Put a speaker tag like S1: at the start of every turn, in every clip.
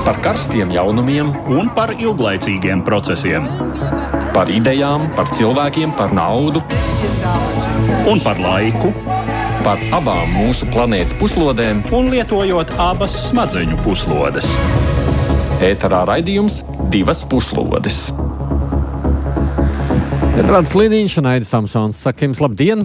S1: Par karstiem jaunumiem
S2: un par ilglaicīgiem procesiem.
S1: Par idejām, par cilvēkiem, par naudu
S2: Un par laiku.
S1: Par abām mūsu planētas puslodēm.
S2: Un lietojot abas smadzeņu puslodes.
S1: Ēterā raidījums Divas puslodes.
S3: Edvards Liniņš un Aidis Tamsons. Saka jums labdien!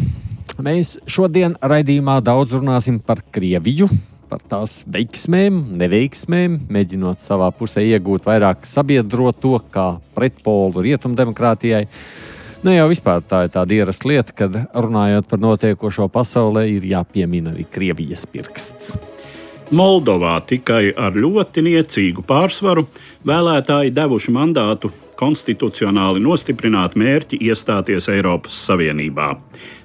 S3: Mēs šodien raidījumā daudz runāsim par Krieviju, par tās veiksmēm, neveiksmēm, mēģinot savā pusē iegūt vairāk sabiedroto kā pretpolu rietumdemokrātijai. Jau vispār tā ir tāda ierasta lieta, kad runājot par notiekošo pasaulē, ir jāpiemina arī Krievijas pirksts.
S2: Moldovā tikai ar ļoti niecīgu pārsvaru vēlētāji devuši mandātu konstitucionāli nostiprināt mērķi iestāties Eiropas Savienībā.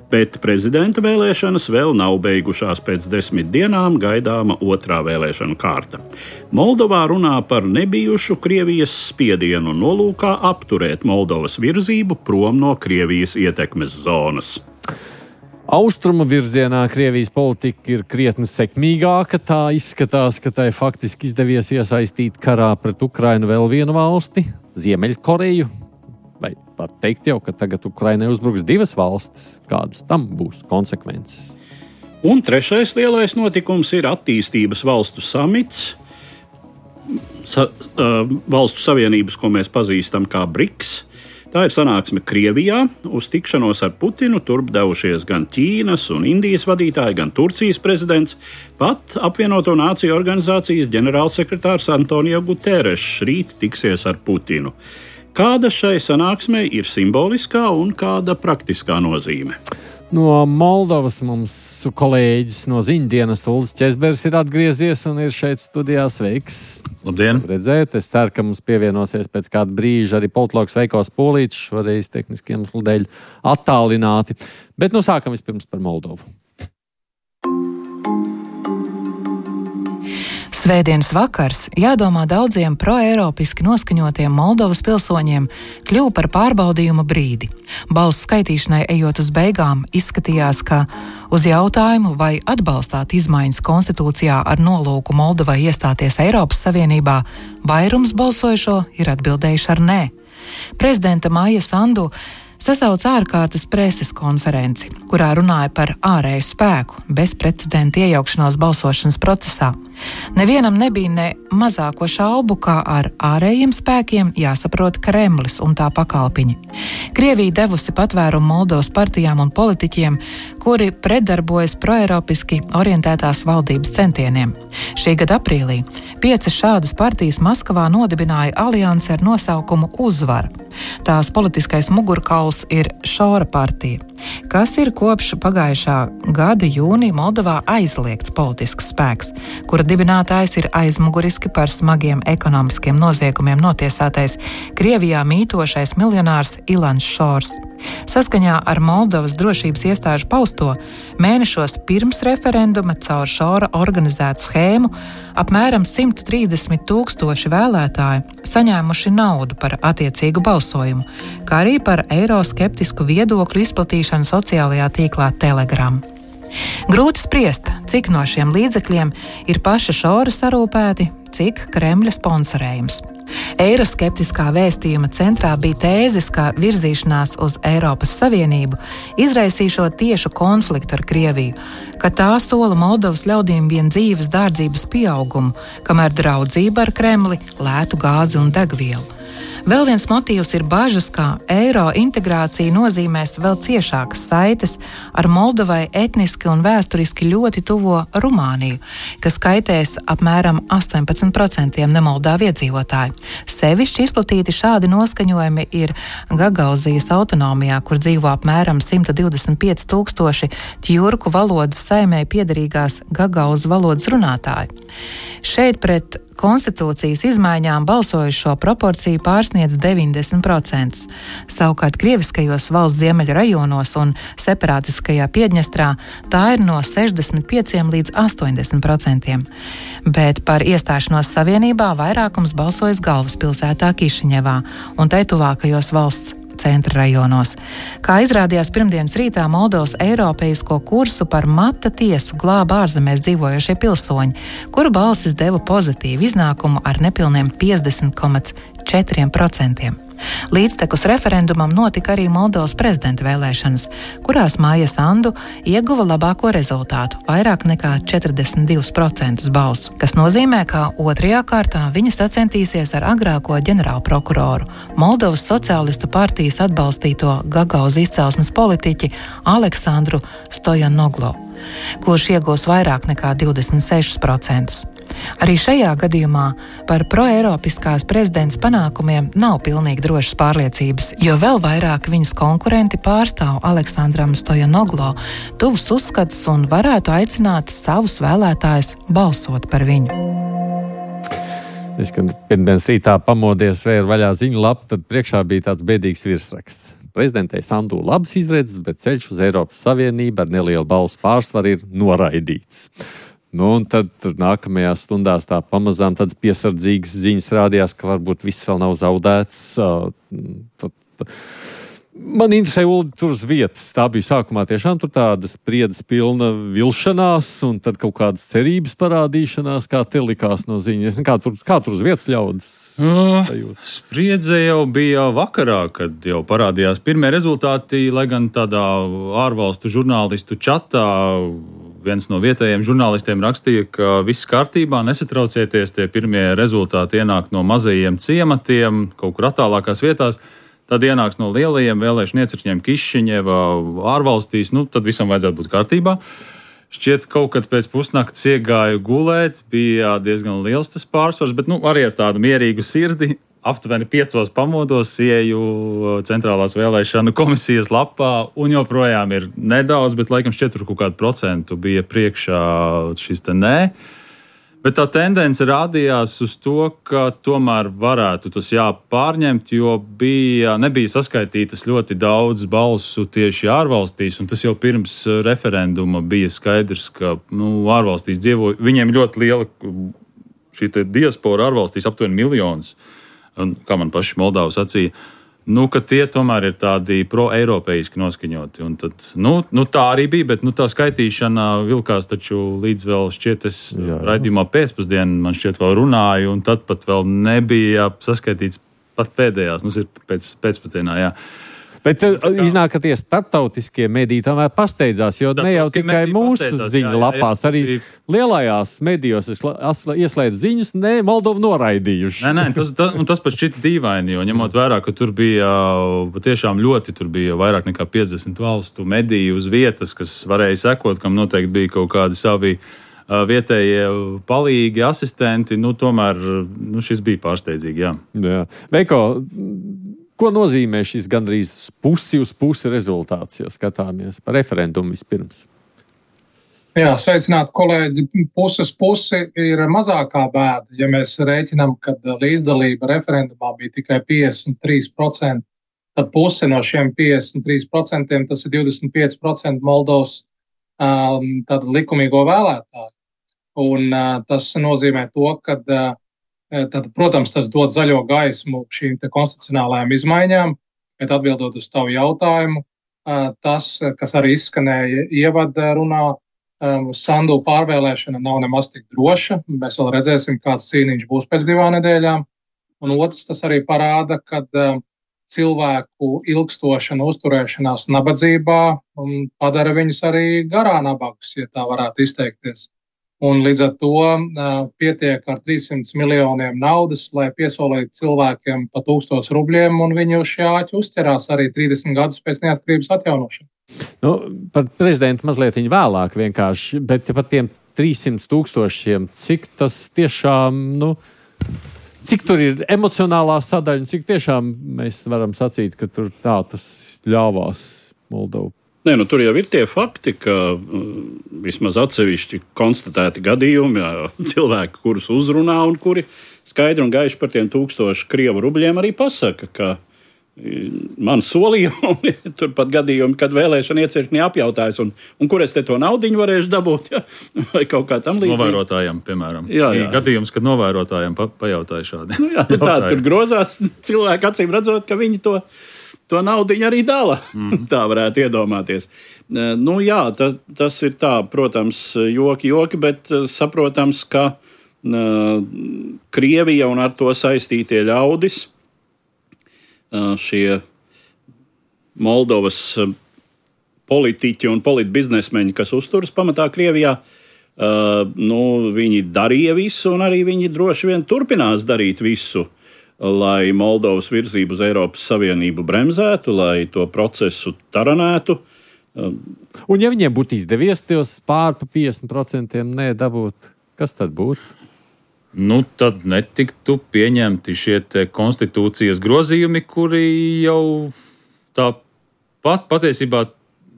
S2: Bet prezidenta vēlēšanas vēl nav beigušās. Pēc 10 dienām gaidāma otrā vēlēšanu kārta. Moldovā runā par nebijušu Krievijas spiedienu nolūkā apturēt Moldovas virzību prom no Krievijas ietekmes zonas.
S3: Austrumu virzienā Krievijas politika ir krietni sekmīgāka. Tā izskatās, ka tai faktiski izdevies iesaistīt karā pret Ukrainu vēl vienu valsti, Ziemeļkoreju. Vai var teikt jau, ka tagad Ukrainai uzbruks 2 valstis? Kādas tam būs konsekvences?
S2: Un trešais lielais notikums ir attīstības valstu samits, valstu savienības, ko mēs pazīstam kā BRICS. Tā ir sanāksme Krievijā. Uz tikšanos ar Putinu turp devušies gan Ķīnas un Indijas vadītāji, gan Turcijas prezidents, pat apvienoto nāciju organizācijas ģenerālsekretārs Antonio Guterres rīt tiksies ar Putinu. Kāda šai sanāksmei ir simboliskā un kāda praktiskā nozīme?
S3: No Moldovas mums kolēģis no ziņdienas Uldis Česbergs ir atgriezies un ir šeit studijā. Sveiks!
S4: Labdien!
S3: Redzēt, es ceru, ka mums pievienosies pēc kāda brīža arī politologs Veikos Polītis, šoreiz tehniskiem iemeslu dēļ attālināti. Bet sākam vispirms par Moldovu.
S5: Svētdienas vakars, jādomā daudziem proeiropiski noskaņotiem Moldovas pilsoņiem, kļuva par pārbaudījuma brīdi. Balsu skaitīšanai ejot uz beigām, izskatījās, ka uz jautājumu, vai atbalstāt izmaiņas konstitūcijā ar nolūku Moldovai iestāties Eiropas Savienībā, vairums balsojušo ir atbildējuši ar nē. Prezidenta Maija Sandu sasauca ārkārtas preses konferenci, kurā runāja par ārēju spēku, bezprecedenta iejaukšanos balsošanas procesā. Nevienam nebija ne mazāko šaubu, kā ar ārējiem spēkiem jāsaprot Kremlis un tā pakalpiņi. Krievija devusi patvērumu Moldovas partijām un politiķiem, kuri pretdarbojas proeiropiski orientētās valdības centieniem. Šī gada aprīlī 5 šādas partijas Maskavā nodibināja aliansi ar nosaukumu Uzvara. Tās politiskais mugurkauls ir Šora partija, kas ir kopš pagājušā gada jūnija Moldovā aizliegts politisks spēks, kura dibinātājs ir aizmuguriski par smagiem ekonomiskiem noziegumiem notiesātais Krievijā mītošais miljonārs Ilans Šors. Saskaņā ar Moldovas drošības iestāžu pausto, mēnešos pirms referenduma caur Šora organizētu schēmu apmēram 130,000 vēlētāji saņēmuši naudu par attiecīgu balsojumu, kā arī par eiroskeptisku viedokļu izplatīšanu sociālajā tīklā Telegram. Grūti spriest, cik no šiem līdzekļiem ir paša Šora sarūpēti, cik Kremļa sponsorējums. Eiroskeptiskā vēstījuma centrā bija tēzes, ka virzīšanās uz Eiropas Savienību izraisīšot tiešu konfliktu ar Krieviju, ka tā sola Moldovas ļaudīm vien dzīves dārdzības pieaugumu, kamēr draudzība ar Kremli lētu gāzi un degvielu. Vēl viens motīvs ir bažas, ka eiro integrācija nozīmēs vēl ciešākas saites ar Moldovai etniski un vēsturiski ļoti tuvo Rumāniju, kas skaitēs apmēram 18% nemoldāvu iedzīvotāju. Sevišķi izplatīti šādi noskaņojumi ir Gagauzijas autonomijā, kur dzīvo apmēram 125,000 tjurku valodas saimei piederīgās Gagauzu valodas runātāji. Šeit pret konstitūcijas izmaiņām balsojušo proporcija pārsniedz 90%. Savukārt krieviskajos valsts ziemeļu rajonos un separātiskajā Piedņestrā tā ir no 65 līdz 80%. Bet par iestāšanos savienībā vairākums balsojas galvaspilsētā Kišiņevā un tai tuvākajos valsts centra rajonos. Kā izrādījās pirmdienas rītā, Moldovas eiropeisko kursu par mata tiesu glāba ārzemēs dzīvojošie pilsoņi, kuru balsis deva pozitīvu iznākumu ar nepilniem 50,4%. Līdztekus referendumam notika arī Moldovas prezidenta vēlēšanas, kurās Māja Sandu ieguva labāko rezultātu – vairāk nekā 42% balsu, kas nozīmē, ka otrajā kārtā viņa sacentīsies ar agrāko ģenerālprokuroru, Moldovas sociālistu partijas atbalstīto Gagauz izcelsmes politiķi Aleksandru Stojanoglo, kurš iegūs vairāk nekā 26%. Arī šajā gadījumā par proeiropiskās prezidents panākumiem nav pilnīgi drošas pārliecības, jo vēl vairāk viņas konkurenti pārstāv Aleksandram Stojanoglo tuvus uzskatus un varētu aicināt savus vēlētājus balsot par viņu.
S3: Es, kad pirmdienas rītā pamodies vēju vaļā ziņu lapu, tad priekšā bija tāds bēdīgs virsraksts. Prezidentei Sandu labas izredzes, bet ceļš uz Eiropas Savienību ar nelielu balsu pārsvaru ir noraidīts. Un tad nākamajās stundās tā pamazām tādas piesardzīgas ziņas rādījās, ka varbūt viss vēl nav zaudēts. Man interesē, Uldi, tur uz vietas. Tā bija sākumā tiešām tur tādas spriedzes pilna vilšanās un tad kaut kādas cerības parādīšanās, kā te likās no ziņas. Kā tur uz vietas ļaudis?
S4: Spriedze jau bija vakarā, kad jau parādījās pirmie rezultāti, lai gan tādā ārvalstu žurnālistu čatā viens no vietējiem žurnālistiem rakstīja, ka viss kārtībā, nesatraucieties, tie pirmie rezultāti ienāk no mazajiem ciematiem, kaut kur attālākās vietās, tad ienāks no lielajiem vēlēšanu iecirkņiem Kišiņeva ārvalstīs, tad visam vajadzētu būt kārtībā. Šķiet, kaut kad pēc pusnakts iegāju gulēt, bija diezgan liels tas pārsvars, bet arī ar tādu mierīgu sirdi. Aptuveni 5 pamodos ieju centrālās vēlēšanu komisijas lapā un joprojām ir nedaudz, bet laikam šķiet tur kaut kādu procentu bija priekšā šis te nē. Bet tā tendence rādījās uz to, ka tomēr varētu tas jāpārņemt, jo nebija saskaitītas ļoti daudz balsu tieši ārvalstīs, un tas jau pirms referenduma bija skaidrs, ka ārvalstīs dzīvo, viņiem ļoti liela šī te diaspora ārvalstīs, aptuveni 1 miljons. Un, kā man paši Moldavi sacīja, ka tie tomēr ir tādi pro-eiropeiski noskaņoti. Un tad, tā arī bija, bet tā skaitīšana vilkās taču līdz vēl šķiet es raidījumā pēcpusdienu, man šķiet vēl runāju, un tad pat vēl nebija saskaitīts pat pēdējās, ir pēcpusdienā, jā.
S3: Bet iznāk, ka tie starptautiskie mediji tomēr pasteidzās, jo ne jau tikai mūsu ziņu lapās, arī lielajās medijos ieslēdz ziņas, Moldovu noraidījuši.
S4: Tas pat šķita dīvaini, jo ņemot vērā, ka tur bija patiešām tur bija vairāk nekā 50 valstu mediju uz vietas, kas varēja sekot, kam noteikti bija kaut kādi savi vietējie palīgi, asistenti, tomēr šis bija pārsteidzīgi, jā.
S3: Veiko, ko nozīmē šis gandrīz pusi uz pusi rezultāts, ja skatāmies par referendumu vispirms?
S6: Jā, sveicināti kolēģi. Puses pusi ir mazākā bēda. Ja mēs rēķinām, ka līdzdalība referendumā bija tikai 53%, tad puse no šiem 53%, tas ir 25% Moldovas likumīgo vēlētāju. Un tas nozīmē to, ka tad, protams, tas dod zaļo gaismu šīm te konstitucionālajām izmaiņām, bet atbildot uz tavu jautājumu, tas, kas arī izskanēja ievada runā, Sandu pārvēlēšana nav nemaz tik droša. Mēs vēl redzēsim, kāds cīniņš būs pēc 2 nedēļām. Un otrs, tas arī parāda, ka cilvēku ilgstošana uzturēšanās nabadzībā padara viņus arī garā nabagus, ja tā varētu izteikties. Un līdz ar to pietiek ar 300 miljoniem naudas, lai piesolītu cilvēkiem pa 1000 rubļiem, un viņi uz šī āķa uzķerās arī 30 gadus pēc neatkarības atjaunošanas.
S3: Par prezidentu mazliet vēlāk vienkārši, bet par tiem 300 000, cik tas tiešām, cik tur ir emocionālā sadaļa, un cik tiešām mēs varam sacīt, ka tur tā tas ļāvās Moldovu.
S2: Tur jau ir tie fakti, ka vismaz atsevišķi konstatēti gadījumi, cilvēki, kurus uzrunā un kuri skaidri un gaiši par tiem 1000 krievu rubļiem arī pasaka, ka man solīja, un turpat gadījumi, kad vēlēšana iecirkņi apjautājas, un kur es te to naudiņu varēšu dabūt, vai kaut kā tam līdzīgi.
S4: Novērotājiem, piemēram.
S2: Jā.
S4: Gadījums, kad novērotājiem pajautāja šādi.
S2: Tā tur grozās cilvēki, acīm redzot, ka viņi to to naudiņu arī dala. Tā varētu iedomāties. Jā, tas ir tā, protams, joki, bet saprotams, ka Krievija un ar to saistītie ļaudis, šie Moldovas politiķi un politbiznesmeņi, kas uzturas pamatā Krievijā, viņi darīja visu, un arī viņi droši vien turpinās darīt visu, lai Moldovas virzību uz Eiropas Savienību bremzētu, lai to procesu taranētu.
S3: Un ja viņiem būtu izdevies tos pār pa 50% nedabūt, kas tad būtu?
S4: Tad netiktu pieņemti šie konstitūcijas grozījumi, kuri jau tāpat patiesībā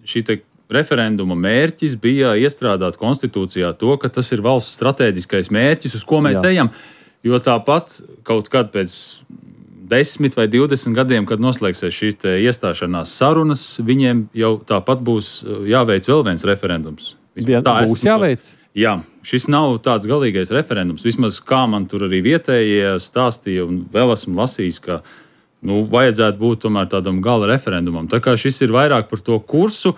S4: šī referenduma mērķis bija iestrādāt konstitūcijā to, ka tas ir valsts stratēģiskais mērķis, uz ko mēs ejam. Jo tāpat kaut kad pēc 10 vai 20 gadiem, kad noslēgsies šīs iestāšanās sarunas, viņiem jau tāpat būs jāveic vēl viens referendums.
S3: Būs jāveic?
S4: Jā, šis nav tāds galīgais referendums. Vismaz kā man tur arī vietējie stāstīja, un vēl esmu lasījis, ka vajadzētu būt tomēr tādam gala referendumam. Tā kā šis ir vairāk par to kursu,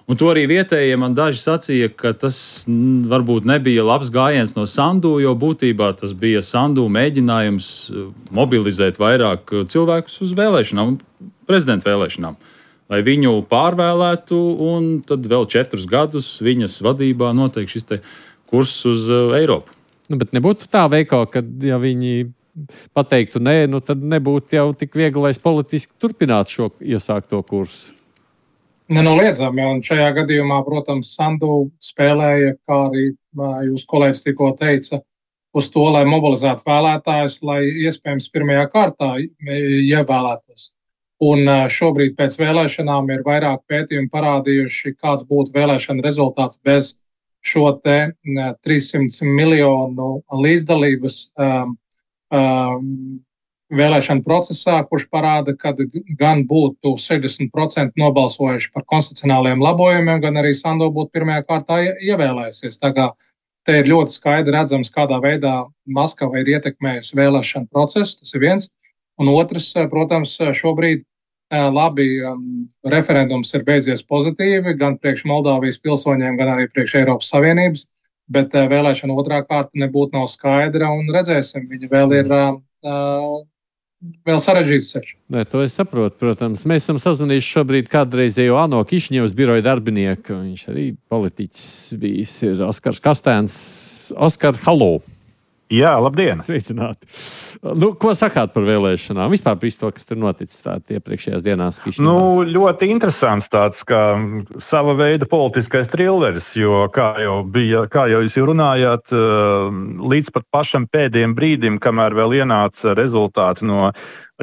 S4: un to arī vietējie man daži sacīja, ka tas varbūt nebija labs gājiens no Sandu, jo būtībā tas bija Sandu mēģinājums mobilizēt vairāk cilvēkus uz vēlēšanām, prezidenta vēlēšanām, lai viņu pārvēlētu, un tad vēl 4 gadus viņas vadībā notiek šis kurs uz Eiropu.
S3: Bet nebūtu tā veikā, ka ja viņi pateiktu nē, tad nebūtu jau tik vieglais politiski turpināt šo iesākto kursu.
S6: Nenoliedzami, un šajā gadījumā, protams, Sandu spēlēja, kā arī jūs kolēģis tikko teica, uz to, lai mobilizētu vēlētājus, lai iespējams pirmajā kārtā ievēlētos. Un šobrīd pēc vēlēšanām ir vairāk pētījumi parādījuši, kāds būtu vēlēšana rezultāts bez šo 300 miljonu līdzdalības vēlēšana procesā, kurš parāda, ka gan būtu 60% nobalsojuši par konstitucionāliem labojumiem, gan arī Sandu būtu pirmajā kārtā ievēlējusies. Tā kā te ir ļoti skaidri redzams, kādā veidā Maskava ir ietekmējusi vēlēšanu procesu, tas ir viens. Un otrs, protams, šobrīd labi referendums ir beidzies pozitīvi, gan priekš Moldāvijas pilsoņiem, gan arī priekš Eiropas Savienības, bet vēlēšana otrā kārta nebūtu nav skaidra, un redzēsim, viņa vēl ir vēl sarežģīts ceļš.
S3: Nē, to es saprotu, protams. Mēs esam sazvanījuši šobrīd kādreizējo ANO Kišņevas biroja darbinieku, viņš arī politiķis bijis, ir Oskars Kastēns. Oskar, halo!
S7: Jā, labdien!
S3: Sveicināti! Ko sakāt par vēlēšanām? Vispār par to, kas tur noticis iepriekšējās dienās Kišņevā?
S7: Ļoti interesants tāds, kā sava veida politiskais trilleris, jo, kā jau jūs runājāt, līdz pat pašam pēdējiem brīdim, kamēr vēl ienāca rezultāti no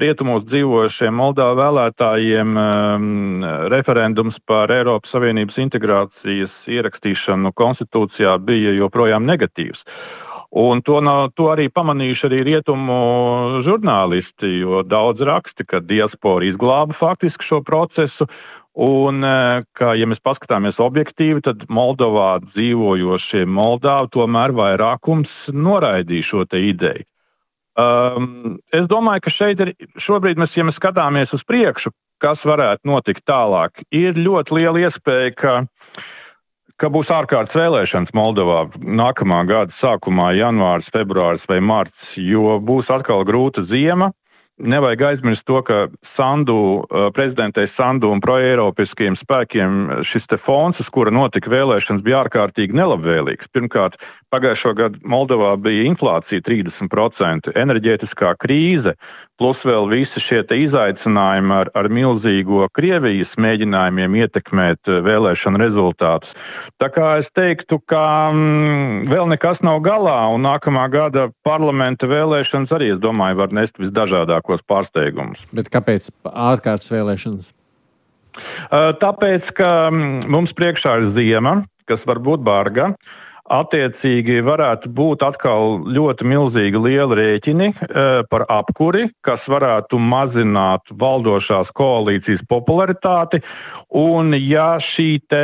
S7: rietumos dzīvojušiem Moldāvu vēlētājiem, referendums par Eiropas Savienības integrācijas ierakstīšanu konstitūcijā bija joprojām negatīvs. Un to arī pamanījuši arī rietumu žurnālisti, jo daudz raksti, ka diaspora izglāba faktiski šo procesu, un ka, ja mēs paskatāmies objektīvi, tad Moldovā dzīvojošie Moldāvi tomēr vairākums noraidīja šo te ideju. Es domāju, ka šobrīd ja mēs skatāmies uz priekšu, kas varētu notikt tālāk, ir ļoti liela iespēja, ka būs ārkārtas vēlēšanas Moldovā nākamā gada sākumā, janvāris, februāris vai marts, jo būs atkal grūta ziema. Nevajag aizmirst to, ka prezidentei Sandu un proeiropiskiem spēkiem šis te fons, uz kura notika vēlēšanas, bija ārkārtīgi nelabvēlīgs. Pirmkārt, pagājušo gadu Moldovā bija inflācija 30%, enerģētiskā krīze, plus vēl visi šie te izaicinājumi ar milzīgo Krievijas mēģinājumiem ietekmēt vēlēšanu rezultātus. Tā kā es teiktu, ka vēl nekas nav galā, un nākamā gada parlamenta vēlēšanas arī, es domāju, var nest visdažādākos pārsteigumus.
S3: Bet kāpēc ārkārtas vēlēšanas?
S7: Tāpēc, ka mums priekšā ir ziema, kas var būt barga. Attiecīgi varētu būt atkal ļoti milzīgi lieli rēķini par apkuri, kas varētu mazināt valdošās koalīcijas popularitāti. Un ja šī te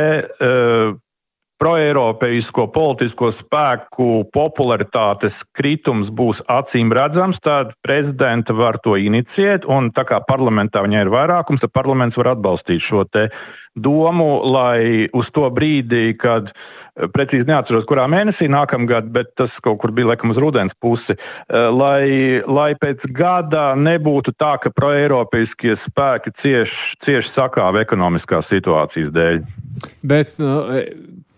S7: proeiropeisko politisko spēku popularitātes kritums būs acīm redzams, tad prezidenta var to inicijēt, un tā kā parlamentā viņai ir vairākums, tad parlaments var atbalstīt šo te domu, lai uz to brīdi, kad precīzi neatceros, kurā mēnesī nākamgad, bet tas kaut kur bija laikam uz rudens pusi, lai pēc gada nebūtu tā, ka proeiropeiskie spēki cieši sakāva ekonomiskās situācijas dēļ. Bet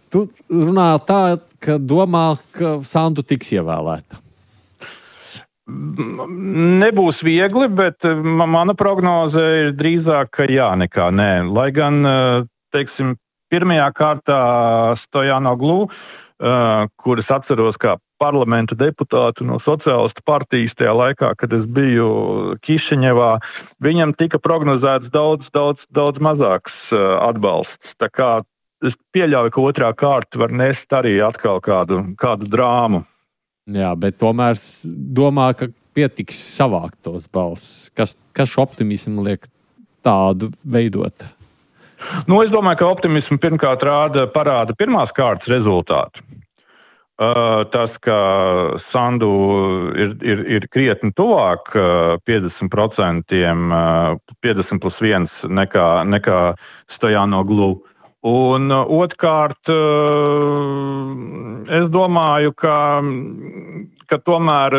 S3: tu runā tā, ka domā, ka Sandu tiks ievēlēta.
S7: Nebūs viegli, bet mana prognoze ir drīzāk, ka jā, nekā nē. Lai gan, teiksim, pirmajā kārtā Stojanoglu, kuras atceros kā parlamenta deputātu no Sociālistu partijas tajā laikā, kad es biju Kišiņevā, viņam tika prognozēts daudz mazāks atbalsts. Tā kā es pieļauju, ka otrā kārta var nest arī atkal kādu drāmu.
S3: Jā, bet tomēr domā, ka pietiks savākt tos balsis. Kas šo optimismu liek tādu veidot?
S7: Es domāju, ka optimismu pirmkārt parāda pirmās kārtas rezultāti. Tas, ka Sandu ir krietni tuvāk 50%, 50+1 nekā Stojanoglu. Un otrkārt, es domāju, ka tomēr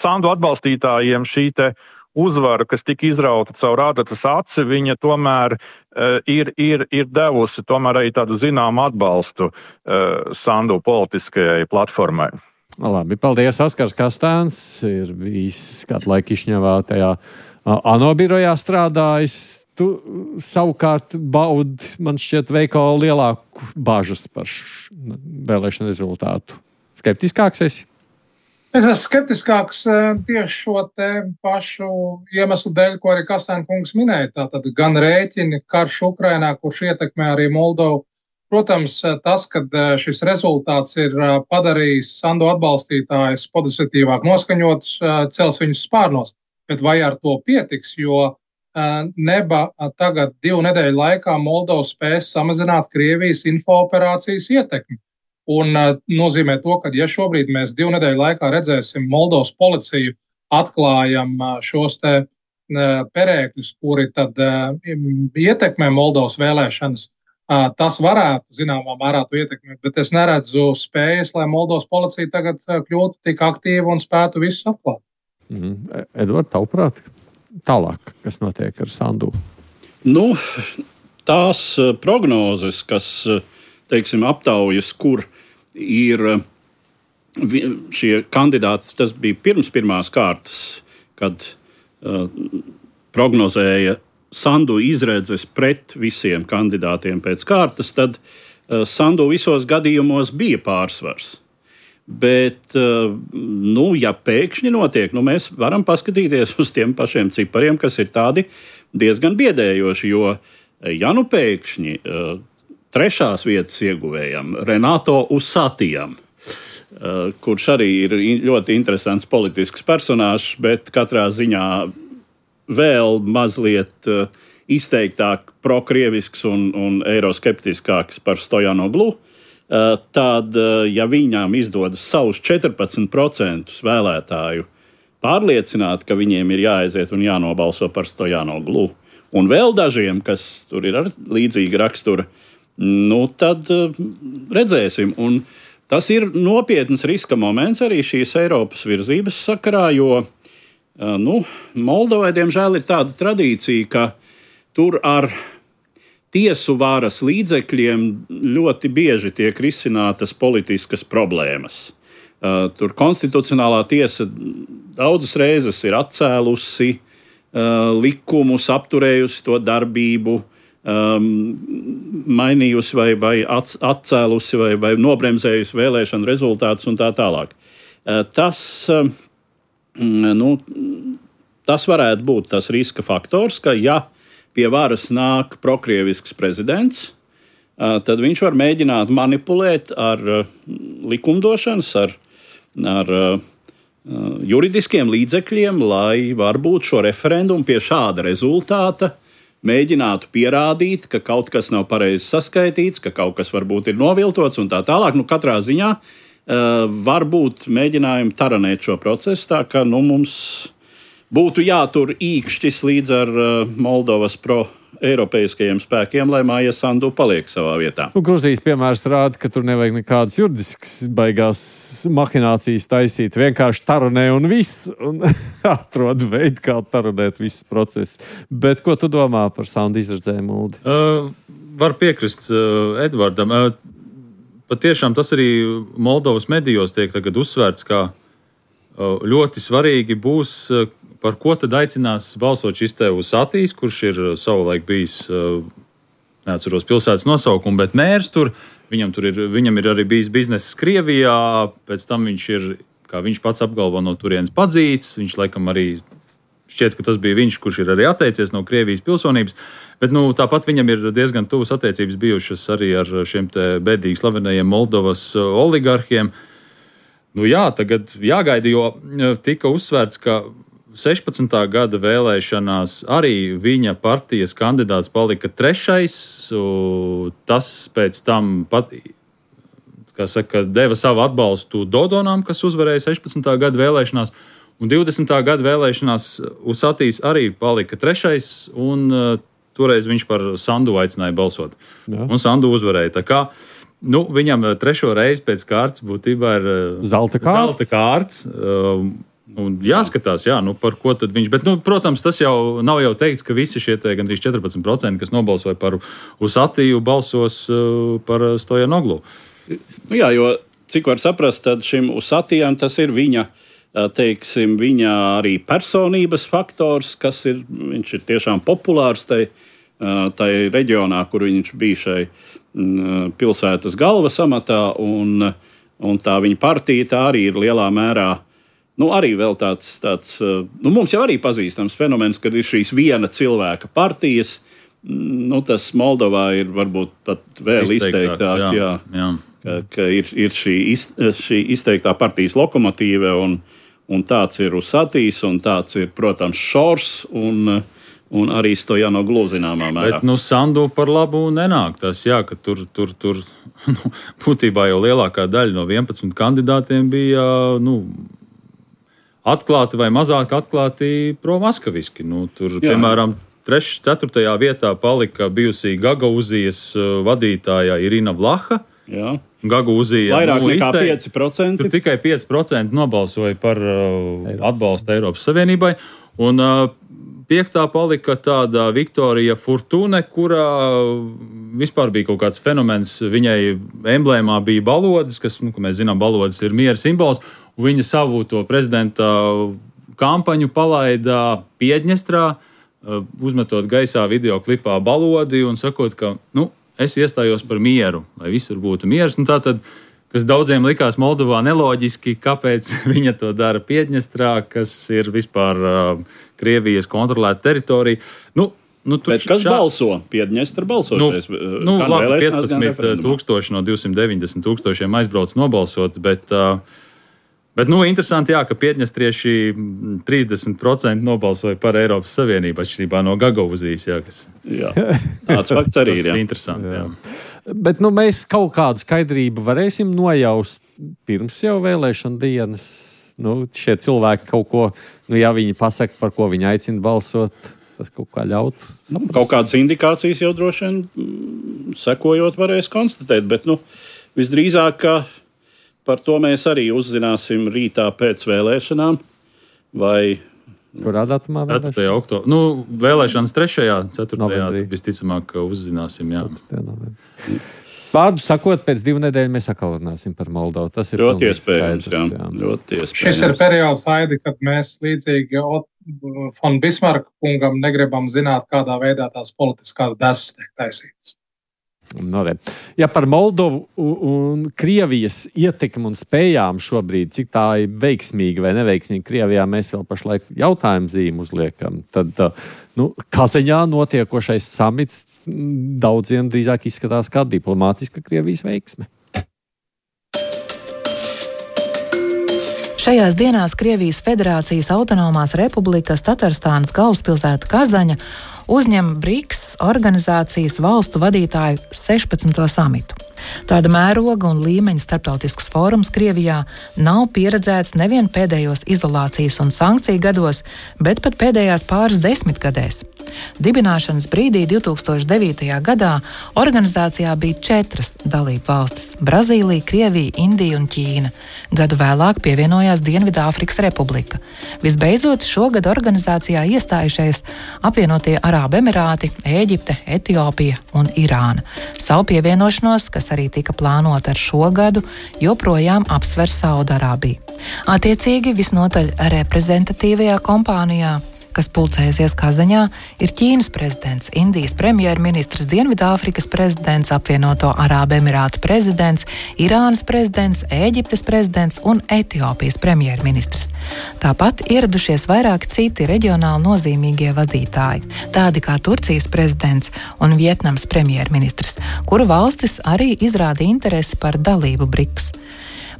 S7: Sandu atbalstītājiem šī te uzvara, kas tika izrauta caur ādatas aci, viņa tomēr ir devusi tomēr arī tādu zināmu atbalstu Sandu politiskajai platformai.
S3: Labi, paldies. Oskars Kastāns ir bijis kādu laiku Kišņevā tajā ANO birojā strādājis. Tu savukārt baudi, man šķiet, veikalo lielāku bažas par vēlēšanu rezultātu. Skeptiskāks esi?
S6: Es esmu skeptiskāks tieši šo te pašu iemeslu dēļ, ko arī Kastāna kungs minēja. Tātad gan rēķini, karš Ukrainā, kurš ietekmē arī Moldovu. Protams, tas, ka šis rezultāts ir padarījis Sandu atbalstītājus pozitīvāk noskaņotus, cels viņus spārnos. Bet vai ar to pietiks, jo neba tagad 2 nedēļu laikā Moldova spēs samazināt Krievijas infooperācijas ietekmi. Un nozīmē to, ka ja šobrīd mēs 2 nedēļu laikā redzēsim Moldovas policiju atklājam šos te perēkļus, kuri tad ietekmē Moldovas vēlēšanas, tas varētu zināmā mērā to ietekmēt, bet es neredzu spējas, lai Moldovas policija tagad kļūtu tik aktīva un spētu visus atklāt.
S3: Edvard, tavuprāt? Tālāk, kas notiek ar Sandu?
S2: Tās prognozes, kas, teiksim, aptaujas, kur ir šie kandidāti, tas bija pirms pirmās kārtas, kad prognozēja Sandu izredzes pret visiem kandidātiem pēc kārtas, tad Sandu visos gadījumos bija pārsvars. Bet, ja pēkšņi notiek, mēs varam paskatīties uz tiem pašiem cipariem, kas ir tādi diezgan biedējoši, jo, ja pēkšņi 3. vietas ieguvējam Renato Usatijam, kurš arī ir ļoti interesants politisks personāžs, bet katrā ziņā vēl mazliet izteiktāk prokrievisks un eiroskeptiskāks par Stojanoglu, tad, ja viņām izdodas savus 14% vēlētāju pārliecināt, ka viņiem ir jāaiziet un jānobalso par Stojanoglu, un vēl dažiem, kas tur ir ar līdzīga rakstura, tad redzēsim. Un tas ir nopietns riska moments arī šīs Eiropas virzības sakarā, jo Moldovai, diemžēl, ir tāda tradīcija, ka tur ar tiesu varas līdzekļiem ļoti bieži tiek risinātas politiskas problēmas. Tur konstitucionālā tiesa daudzas reizes ir atcēlusi likumus, apturējusi to darbību, mainījusi vai atcēlusi vai nobremzējusi vēlēšanu rezultātus un tā tālāk. Tas varētu būt tas riska faktors, ka pie varas nāk prokrievisks prezidents, tad viņš var mēģināt manipulēt ar likumdošanas, ar juridiskiem līdzekļiem, lai varbūt šo referendumu pie šāda rezultāta mēģinātu pierādīt, ka kaut kas nav pareizi saskaitīts, ka kaut kas varbūt ir noviltots un tā tālāk. Katrā ziņā varbūt mēģinājumi taranēt šo procesu, tā ka mums būtu jātur īkšķis līdz ar Moldovas pro-eiropeiskajiem spēkiem, lai Maija Sandu paliek savā vietā.
S3: Gruzijas piemērs rāda, ka tur nevajag nekādas juridiskas baigās mahinācijas taisīt. Vienkārši taranē un viss. Un atrod veidu, kā taranēt visus procesus. Bet ko tu domā par Sandu izredzējumu, Uldi?
S4: Var piekrist Edvardam. Patiešām tas arī Moldovas medijos tiek tagad uzsvērts, kā ļoti svarīgi būs, par ko tad aicinās balsot šis te Usatijs, kurš ir savulaik bijis, neatceros pilsētas nosaukumu, bet mērs tur. Viņam ir arī bijis bizness Krievijā, pēc tam viņš ir, kā viņš pats apgalvo, no turienes padzīts. Viņš laikam arī šķiet, ka tas bija viņš, kurš ir arī atteicies no Krievijas pilsonības. Bet tāpat viņam ir diezgan tuvas attiecības bijušas arī ar šiem te bēdīgi slavenajiem Moldovas oligarhiem. Jā, tagad jāgaida, jo tika uzsvērts, ka 16. gada vēlēšanās arī viņa partijas kandidāts palika 3. Tas pēc tam pat, deva savu atbalstu Dodonam, kas uzvarēja 16. gada vēlēšanās, un 20. gada vēlēšanās Usatijs arī palika 3. un toreiz viņš par Sandu aicināja balsot. Jā. Un Sandu uzvarēja. Tā kā viņam 3. reizi pēc kārtas būtībā ir zelta kārts. Un jāskatās, par ko tad viņš. Bet, protams, tas jau nav jau teikts, ka visi šie gandrīz 14%, kas nobalsoja par Usatiju, balsos par Stojanoglu.
S2: Jā, jo cik var saprast, tad šim Usatijam tas ir viņa arī personības faktors, viņš ir tiešām populārs tai reģionā, kur viņš bija šai pilsētas galvas amatā, un tā viņa partija tā arī ir lielā mērā, arī vēl tāds mums jau arī pazīstams fenomens, kad ir šīs viena cilvēka partijas, tas Moldovā ir varbūt pat vēl izteiktāk, ka ir šī izteiktā partijas lokomotīve, un tāds ir Usatijs, un tāds ir, protams, Šors, un arī Stojanoglu zināmā mērā.
S4: Bet, Sandu par labu nenāk tas, ka tur būtībā jau lielākā daļa no 11 kandidātiem bija, atklāti vai mazāk atklāti pro-maskaviski. Tur, piemēram, 3. 4. vietā palika bijusī Gagauzijas vadītāja Irina Vlaha.
S2: Jā.
S4: Gagauzija
S2: vairāk nekā 5%.
S4: Tur tikai 5% nobalsoja par atbalstu Eiropas Savienībai. Un 5. palika tāda Viktorija Fortune, kurā vispār bija kaut kāds fenomens. Viņai emblēmā bija balodas, kas, kā mēs zinām, balodas ir miera simbols. Viņa savu to prezidenta kampaņu palaida Piedņestrā, uzmetot gaisā video klipā balodi un sakot, ka, es iestājos par mieru, lai visur būtu miers. Tātad, kas daudziem likās Moldovā neloģiski, kāpēc viņa to dara Piedņestrā, kas ir vispār Krievijas kontrolēta teritorija.
S2: Bet kas balso? Piedņestra balsoties?
S4: 15,000 no 290,000 aizbrauc nobalsot, bet interesanti, ka piedņestrieši 30% nobalsoja par Eiropas Savienību, atšķirībā no Gagauzijas.
S2: Tāds fakts arī ir.
S4: Tas ir interesanti. Jā.
S3: Bet mēs kaut kādu skaidrību varēsim nojaust pirms jau vēlēšana dienas. Šie cilvēki kaut ko, ja viņi pasaka, par ko viņi aicina balsot, tas kaut kā ļautu.
S2: Kaut kādas indikācijas jau droši vien sekojot varēs konstatēt, bet visdrīzāk, ka par to mēs arī uzzināsim rītā pēc vēlēšanām. Vai
S3: kurā datumā?
S4: 4. oktobrī. Vēlēšanas 3. 4. visticamāk uzzināsim.
S3: Vārdu sakot, pēc 2 nedēļu mēs atkal runāsim par Moldovu. Tas ir
S2: ļoti iespējams. Ļoti iespējams.
S6: Šis ir periods, Aidi, kad mēs līdzīgi Fon Bismarka kungam negribam zināt, kādā veidā tās politiskās desas tiek taisītas.
S3: Ja par Moldovu un Krievijas ietekmi un spējām šobrīd, cik tā ir veiksmīga vai neveiksmīga Krievijā, mēs vēl pašlaik jautājumu zīmi uzliekam. Tad Kazaņā notiekošais samits daudziem drīzāk izskatās kā diplomātiska Krievijas veiksme.
S5: Šajās dienās Krievijas Federācijas autonomās republikas Tatarstānas galvaspilsēta Kazaņa uzņem BRICS organizācijas valstu vadītāju 16. samitu. Tāda mēroga un līmeņa starptautisks fórums Krievijā nav pieredzēts nevien pēdējos izolācijas un sankciju gados, bet pat pēdējās pāris desmitgadēs. Dibināšanas brīdī 2009. gadā organizācijā bija 4 dalību valstis – Brazīlija, Krievija, Indija un Ķīna. Gadu vēlāk pievienojās Dienvidāfrikas Republika. Visbeidzot, šogad organizācijā iestājušies apvienotie Arābu Emirāti, Ēģipte, Etiopija un Irāna. Savu pievienošanos, kas arī tika plānota ar šo gadu, joprojām apsver Saudarābija. Attiecīgi, visnotaļ reprezentatīvajā kompānijā, kas pulcējusies Kazaņā, ir Ķīnas prezidents, Indijas premjerministrs, Dienvidāfrikas prezidents, apvienoto Arābu Emirātu prezidents, Irānas prezidents, Ēģiptes prezidents un Etiopijas premjerministrs. Tāpat ieradušies vairāki citi reģionāli nozīmīgie vadītāji, tādi kā Turcijas prezidents un Vietnamas premjerministrs, kuru valstis arī izrāda interesi par dalību BRICS.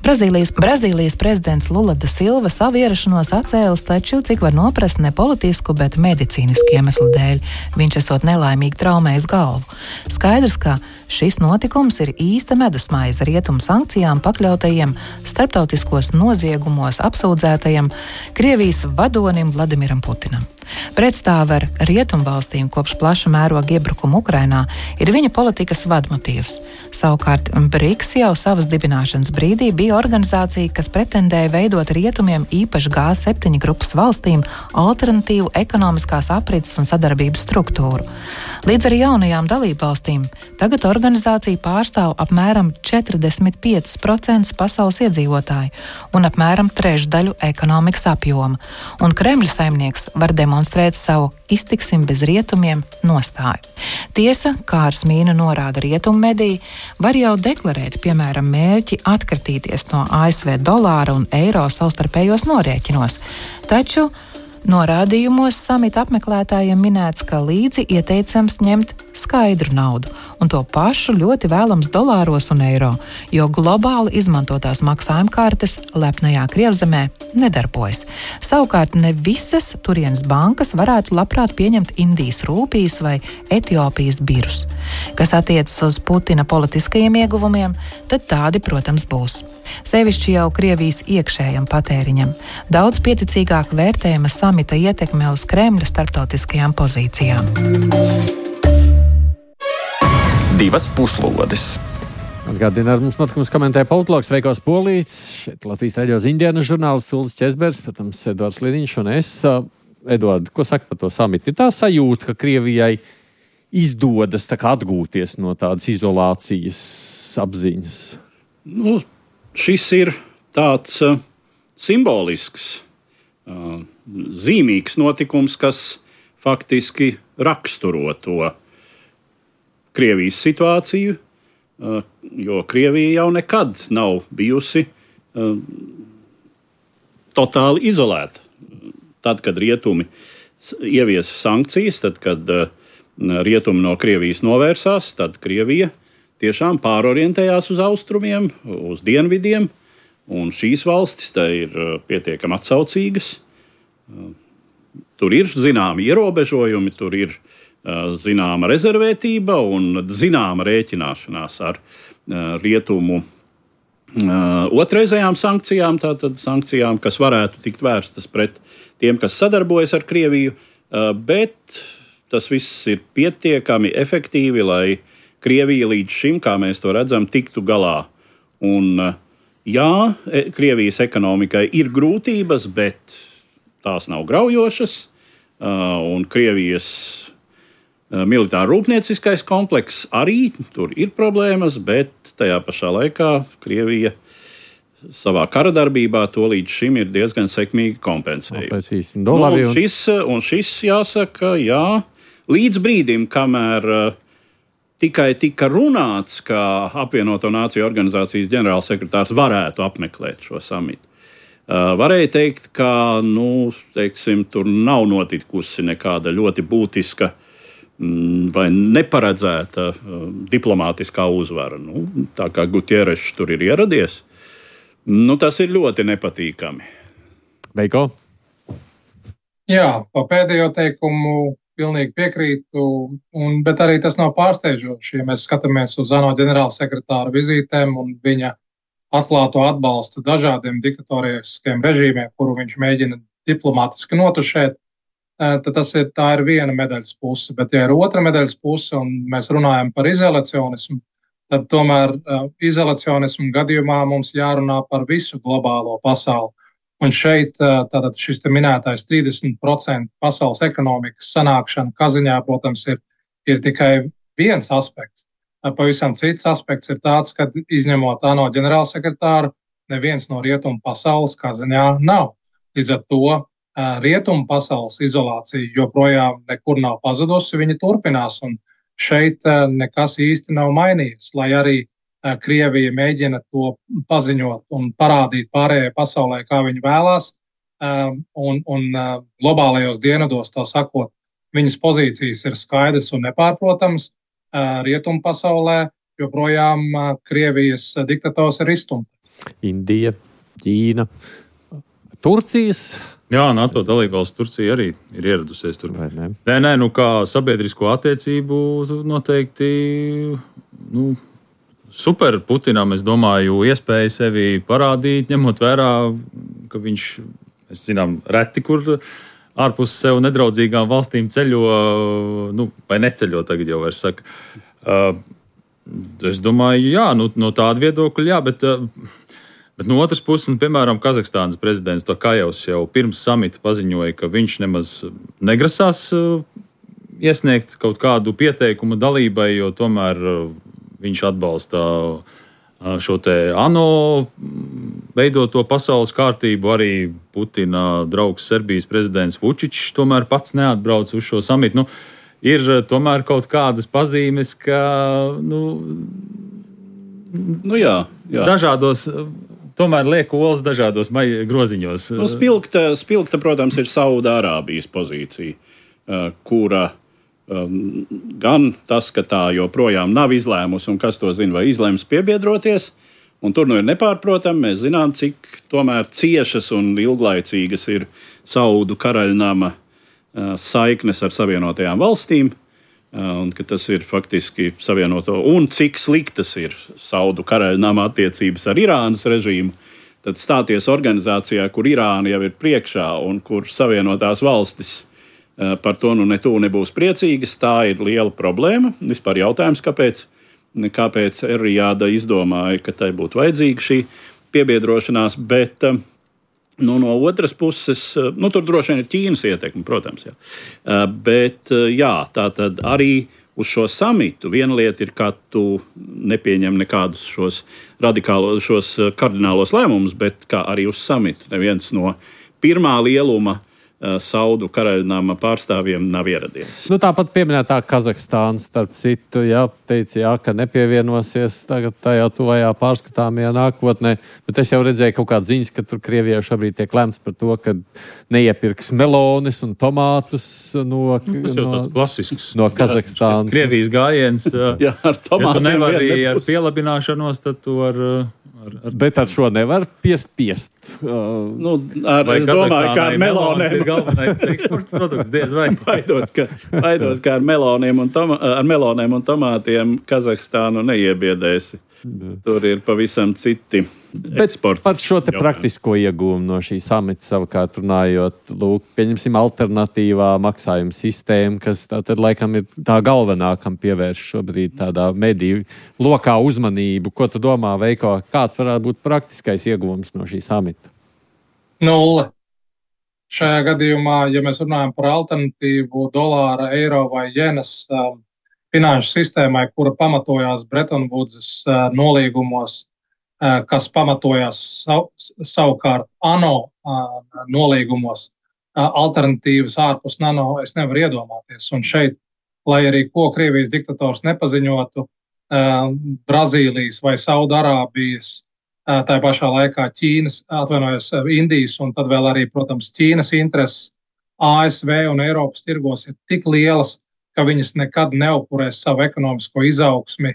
S5: Brazīlijas prezidents Lula da Silva savu ierašanos atcēlis, taču, cik var noprast, ne politisku, bet medicīnisku iemeslu dēļ. Viņš esot nelaimīgi traumējis galvu. Skaidrs, ka šis notikums ir īsta medusmaize rietumu sankcijām pakļautajiem, starptautiskos noziegumos apsūdzētajiem Krievijas vadonim Vladimiram Putinam. Pretstāve ar rietumvalstīm kopš plaša mēroga iebrukuma Ukrainā ir viņa politikas vadmotīvs. Savukārt BRICS jau savas dibināšanas brīdī bija organizācija, kas pretendēja veidot rietumiem īpaši G7 grupas valstīm alternatīvu ekonomiskās aprits un sadarbības struktūru. Līdz ar jaunajām dalībvalstīm tagad organizācija pārstāv apmēram 45% pasaules iedzīvotāju un apmēram trešdaļu ekonomikas apjoma, un Kremļa saimnieks var demonstrēt savu iztiksim bez rietumiem nostāju. Tiesa, kā ar smīnu norāda rietumu mediji, var jau deklarēt, piemēram, mērķi atkritīties no ASV dolāra un eiro savstarpējos norēķinos, taču norādījumos samita apmeklētājiem minēts, ka līdzi ieteicams ņemt skaidru naudu, un to pašu ļoti vēlams dolāros un eiro, jo globāli izmantotās maksājuma kartes lepnajā Krievzemē nedarbojas. Savukārt ne visas turienes bankas varētu labprāt pieņemt Indijas rūpijas vai Etiopijas birus. Kas attiecas uz Putina politiskajiem ieguvumiem, tad tādi, protams, būs. Sevišķi jau Krievijas iekšējam patēriņam. Daudz pieticīgāk vērtējama samita ietekme uz Kremļa starptautiskajām pozīcijām.
S1: 2 puslodes.
S3: Atgādina, ar mums notikums komentēja politologs Veikos Polīts, šeit Latvijas radio ziņdienas žurnālists Ulris Česbergs, protams, Eduards Liniņš un es. Eduard, ko saka par to samitu? Ir tā sajūta, ka Krievijai izdodas tā kā atgūties no tādas izolācijas apziņas?
S2: Šis ir tāds simbolisks, zīmīgs notikums, kas faktiski raksturo to Krievijas situāciju, jo Krievija jau nekad nav bijusi totāli izolēta. Tad, kad rietumi ieviesa sankcijas, tad, kad rietumi no Krievijas novērsās, tad Krievija tiešām pārorientējās uz austrumiem, uz dienvidiem, un šīs valstis tā ir pietiekami atsaucīgas. Tur ir zināmi ierobežojumi, tur ir zināma rezervētība un zināma rēķināšanās ar rietumu otrreizējām sankcijām, tātad sankcijām, kas varētu tikt vērstas pret tiem, kas sadarbojas ar Krieviju, bet tas viss ir pietiekami efektīvi, lai Krievija līdz šim, kā mēs to redzam, tiktu galā. Un, jā, Krievijas ekonomikai ir grūtības, bet tās nav graujošas, un Krievijas militāro-rūpnieciskais komplekss arī tur ir problēmas, bet tajā pašā laikā Krievija savā kara darbībā to līdz šim ir diezgan sekmīgi kompensējusi. Šis jāsaka, jā, līdz brīdim, kamēr tikai tika runāts, ka apvienoto nāciju organizācijas ģenerālsekretārs varētu apmeklēt šo samitu. Varēja teikt, ka tur nav notikusi nekāda ļoti būtiska vai neparedzēta diplomātiskā uzvara. Tā kā Gutierešs tur ir ieradies, Tas ir ļoti nepatīkami.
S3: Veiko?
S6: Jā, pa pēdējo teikumu pilnīgi piekrītu, bet arī tas nav pārsteidzoši, ja mēs skatāmies uz ANO ģenerālsekretāra vizītēm un viņa atklāto atbalstu dažādiem diktatoriskiem režīmiem, kuru viņš mēģina diplomātiski notušēt, tad tā ir viena medaļas puse. Bet, ja ir otra medaļas puse un mēs runājam par izolacionismu, tad tomēr izolacionismu gadījumā mums jārunā par visu globālo pasauli. Un šeit tātad šis te minētais 30% pasaules ekonomikas sanākšana Kaziņā, protams, ir tikai viens aspekts. Pavisam cits aspekts ir tāds, ka izņemot ANO ģenerālsekretāru, neviens no rietumu pasaules Kaziņā nav. Līdz ar to rietumu pasaules izolācija joprojām nekur nav pazudusi, viņa turpinās. Un šeit nekas īsti nav mainījies, lai arī Krievija mēģina to paziņot un parādīt pārējai pasaulē, kā viņi vēlās, un globālajos dienvidos, tā sakot, viņas pozīcijas ir skaidras un nepārprotamas. Rietumu pasaulē joprojām Krievijas diktators ir izstumts.
S3: Indija, Ķīna, Turcijas.
S4: Jā, NATO dalībvalsts Turcija arī ir ieradusies tur. Nē, kā sabiedrisko attiecību noteikti, super Putinam, es domāju, iespēja sevi parādīt, ņemot vērā, ka viņš, mēs zinām, reti, kur ārpus sev nedraudzīgām valstīm ceļo, vai neceļo tagad jau vairs saka. Es domāju, jā, no tāda viedokļa, jā, bet no otras puses, piemēram, Kazahstānas prezidents Tokajevs jau pirms samita paziņoja, ka viņš nemaz negrasās iesniegt kaut kādu pieteikumu dalībai, jo tomēr viņš atbalsta šo te ANO veidoto pasaules kārtību. Arī Putina draugs Serbijas prezidents Vučičs tomēr pats neatbrauc uz šo samitu. Ir tomēr kaut kādas pazīmes, ka
S2: jā.
S4: Dažādos, tomēr liek olas dažādos groziņos.
S2: Spilgta, protams, ir Saudārābijas pozīcija, kura gan tas, ka tā joprojām nav izlēmusi, un kas to zina, vai izlēms piebiedroties, un tur ir nepārprotami, mēs zinām, cik tomēr ciešas un ilglaicīgas ir Saudu karaļnama saiknes ar Savienotajām valstīm, un ka tas ir faktiski savienoto, un cik sliktas ir Saudu karaļnama attiecības ar Irānas režīmu, tad stāties organizācijā, kur Irāna jau ir priekšā un kur Savienotās valstis par to nebūs priecīgas, tā ir liela problēma. Vispār jautājums, kāpēc Erjāda izdomāja, ka tai būtu vajadzīga šī piebiedrošanās, bet no otras puses, tur droši vien ir Ķīnas ietekme, protams, jā. Bet jā, tā tad arī uz šo samitu viena lieta ir, ka tu nepieņem nekādus šos kardinālos lēmumus, bet kā arī uz samitu neviens no pirmā lieluma Saudu karaļnama pārstāvjiem nav ieradies.
S3: Tāpat pieminētā Kazahstāna, starp citu, teica, ka nepievienosies tagad tajā tuvajā pārskatāmajā nākotnē, bet es jau redzēju kaut kādas ziņas, ka tur Krievijā šobrīd tiek lemts par to, ka neiepirks melonis un tomātus no Kazahstānas.
S4: Krievijas gājiens.
S2: Jā, ar tomātiem.
S4: Ja tu nevari ar pielabināšanos, tad tu
S3: Bet ar šo nevar piespiest.
S2: Es domāju, ka ar meloniem
S4: ir galvenais eksporta produkts, diez vai.
S2: Baidos, ka ar meloniem un tomātiem Kazahstānu neiebiedēsi. Tur ir pavisam citi eksporta.
S3: Par šo te praktisko iegūmu no šī samita savukārt runājot, pieņemsim alternatīvā maksājuma sistēma, kas tātad laikam ir tā galvenā, kam pievērš šobrīd tādā mediju lokā uzmanību. Ko tu domā, Veiko, kāds varētu būt praktiskais ieguvums no šī samita?
S6: 0. Šajā gadījumā, ja mēs runājam par alternatīvu dolāra, eiro vai jenas finanšu sistēmai, kura pamatojās Bretton Woods nolīgumos, kas pamatojās savukārt ANO nolīgumos, alternatīvas ārpus ANO es nevaru iedomāties. Un šeit, lai arī ko Krievijas diktators nepaziņotu, Brazīlijas vai Saudārābijas, tā pašā laikā Indijas un tad vēl arī, protams, Ķīnas intereses ASV un Eiropas tirgos ir tik lielas, ka viņas nekad neupurēs savu ekonomisko izaugsmi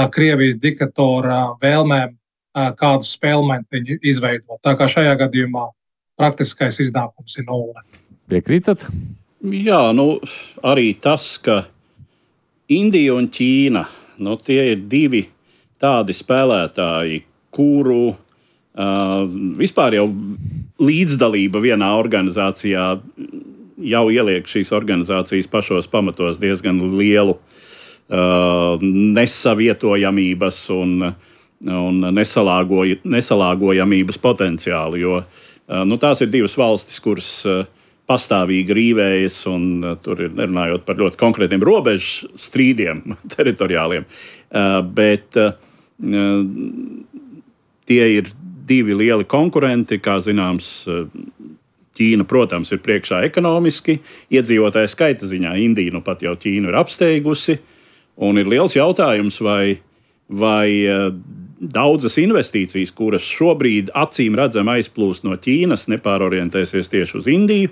S6: Krievijas diktatora vēlmēm kādu spēlmentiņu izveidot. Tā kā šajā gadījumā praktiskais iznākums ir 0.
S3: Piekrītat?
S2: Jā, arī tas, ka Indija un Ķīna, tie ir divi tādi spēlētāji, kuru vispār jau līdzdalība vienā organizācijā jau ieliek šīs organizācijas pašos pamatos diezgan lielu nesavietojamības un nesalāgojamības potenciālu, jo tās ir divas valstis, kuras pastāvīgi rīvējas, un tur ir runājot par ļoti konkrētiem robežu strīdiem teritoriāliem, bet tie ir divi lieli konkurenti, kā zināms, Ķīna, protams, ir priekšā ekonomiski, iedzīvotāju skaita ziņā Indija pat jau Ķīnu ir apsteigusi, un ir liels jautājums, vai daudzas investīcijas, kuras šobrīd acīm redzam aizplūst no Ķīnas, nepārorientēsies tieši uz Indiju,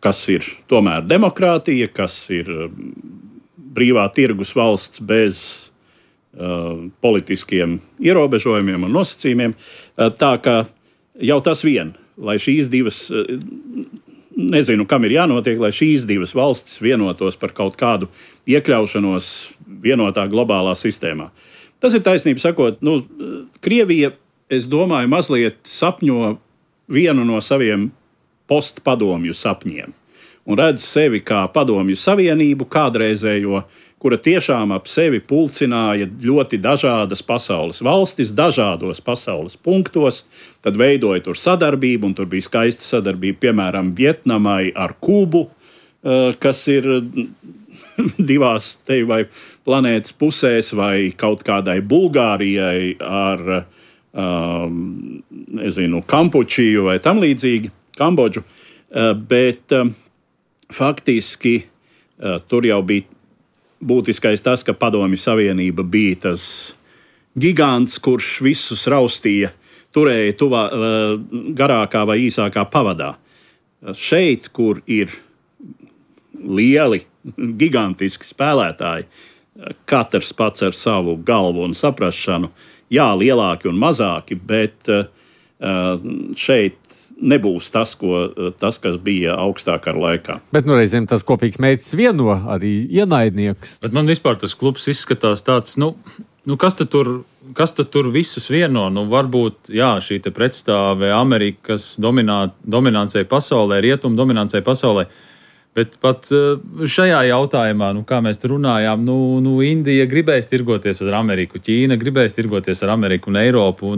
S2: kas ir tomēr demokrātija, kas ir brīvā tirgus valsts bez politiskiem ierobežojumiem un nosacījumiem. Tā kā jau tas vien, lai šīs divas, nezinu, kam ir jānotiek, lai šīs divas valstis vienotos par kaut kādu iekļaušanos vienotā globālā sistēmā. Tas ir taisnība sakot, Krievija, es domāju, mazliet sapņo vienu no saviem postpadomju sapņiem un redz sevi kā padomju savienību kādreizējo, kura tiešām ap sevi pulcināja ļoti dažādas pasaules valstis, dažādos pasaules punktos, tad veidoja tur sadarbību, un tur bija skaista sadarbība, piemēram, Vietnamai ar Kubu, kas ir divās te vai planētas pusēs, vai kaut kādai Bulgārijai ar, Kampučiju vai tam līdzīgi, Kambodžu, bet faktiski tur jau bija būtiskais tas, ka Padomju Savienība bija tas gigants, kurš visus raustīja, turēja garākā vai īsākā pavadā. Šeit, kur ir lieli, gigantiski spēlētāji, katrs pats ar savu galvu un saprašanu, jā, lielāki un mazāki, bet šeit nebūs tas, kas bija augstākā laikā.
S3: Bet reizēm tas kopīgs mērķis vieno arī ienaidnieks.
S4: Bet man vispār tas klubs izskatās tāds, kas tad tur visus vieno? Varbūt, jā, šī te pretstāve Amerikas dominancei pasaulē, rietumu dominancei pasaulē, bet pat šajā jautājumā, kā mēs te runājām, Indija gribēs tirgoties ar Ameriku, Ķīna gribēs tirgoties ar Ameriku un Eiropu,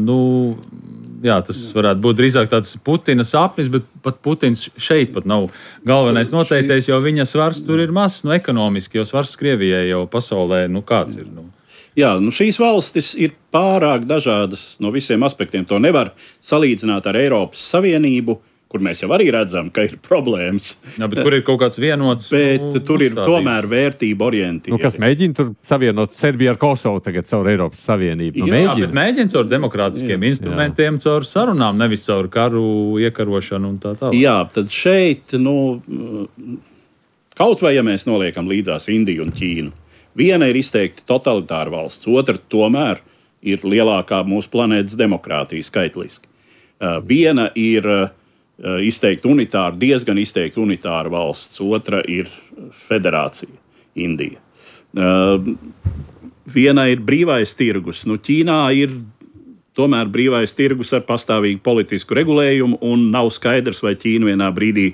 S4: jā, tas varētu būt drīzāk tāds Putina sapnis, bet pat Putins šeit pat nav galvenais noteicējs, jo viņa svars tur ir mazs, ekonomiski, jo svars Krievijai jau pasaulē, kāds ir.
S2: Jā, šīs valstis ir pārāk dažādas no visiem aspektiem. To nevar salīdzināt ar Eiropas Savienību, kur mēs jau arī redzam, ka ir problēmas.
S4: Jā, bet kur ir kaut kāds vienots?
S2: Bet tur ir tomēr vērtība orientēta.
S3: Kas mēģina tur savienot Serbiju ar Kosovu tagad caur Eiropas Savienību?
S4: Mēģina caur demokrātiskiem instrumentiem, caur sarunām, nevis caur karu, iekarošanu un tā tālāk.
S2: Jā, tad šeit, kaut vai ja mēs noliekam līdzās Indiju un Ķīnu, viena ir izteikti totalitāra valsts, otra tomēr ir lielākā mūsu planētas demokrātija skaitliski. Viena ir izteikti unitāra, diezgan izteikti unitāra valsts, otra ir federācija, Indija. Viena ir brīvais tirgus. Ķīnā ir tomēr brīvais tirgus ar pastāvīgu politisku regulējumu, un nav skaidrs, vai Ķīna vienā brīdī,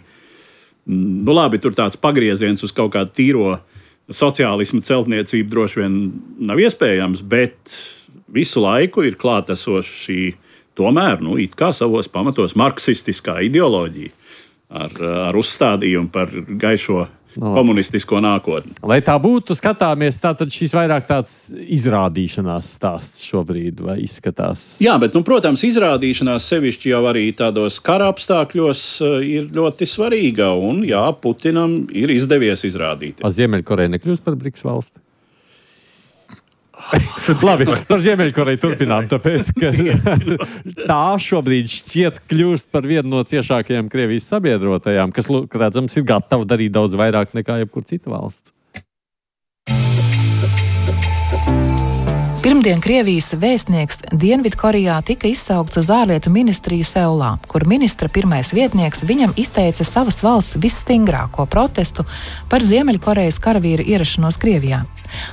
S2: labi, tur tāds pagrieziens uz kaut kādu tīro sociālismu celtniecību droši vien nav iespējams, bet visu laiku ir klātesoša šī tomēr, it kā savos pamatos marksistiskā ideoloģija ar uzstādījumu par gaišo komunistisko nākotni.
S3: Lai tā būtu, skatāmies, tātad šis vairāk tāds izrādīšanās stāsts šobrīd, vai izskatās?
S2: Jā, bet, protams, izrādīšanās sevišķi jau arī tādos kara apstākļos ir ļoti svarīga, un jā, Putinam ir izdevies izrādīt.
S3: Ziemeļkoreja nekļūst par BRICS valsti? Labi, par Ziemeļkoreju turpinām, tāpēc, ka tā šobrīd šķiet kļūst par vienu no ciešākajām Krievijas sabiedrotajām, kas, redzams, ir gatava darīt daudz vairāk nekā jebkur cita valsts.
S5: Pirmdien Krievijas vēstnieks Dienvidkorejā tika izsaukts uz ārlietu ministriju Seulā, kur ministra pirmais vietnieks viņam izteica savas valsts visstingrāko protestu par Ziemeļkorejas karavīru ierašanos Krievijā.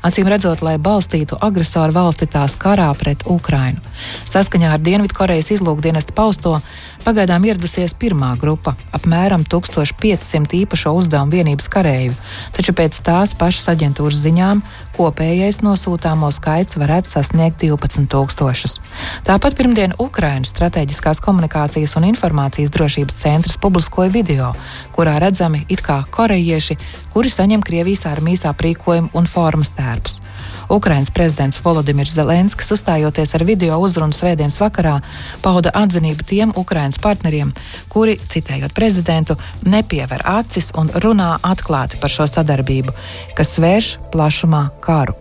S5: Acīm redzot, lai balstītu agresoru valsti tās karā pret Ukrainu. Saskaņā ar Dienvidkorejas izlūkdienesta pausto, pagaidām ieradusies pirmā grupa, apmēram 1500 īpašo uzdevumu vienības kareivju, taču pēc tās pašas aģentūras ziņām kopējais nosūtāmo skaits varētu sasniegt 12 000. Tāpat pirmdien Ukrainas Strateģiskās komunikācijas un informācijas drošības centrs publiskoja video, kurā redzami it kā korejieši, kuri saņem Krievijas armijas aprīkojumu un formas tērpus. Ukrainas prezidents Volodimirs Zelenskis, uzstājoties ar video uzrunu svētdienas vakarā, pauda atzinību tiem Ukrainas partneriem, kuri, citējot prezidentu, nepiever acis un runā atklāti par šo sadarbību, kas vērš plašumā karu.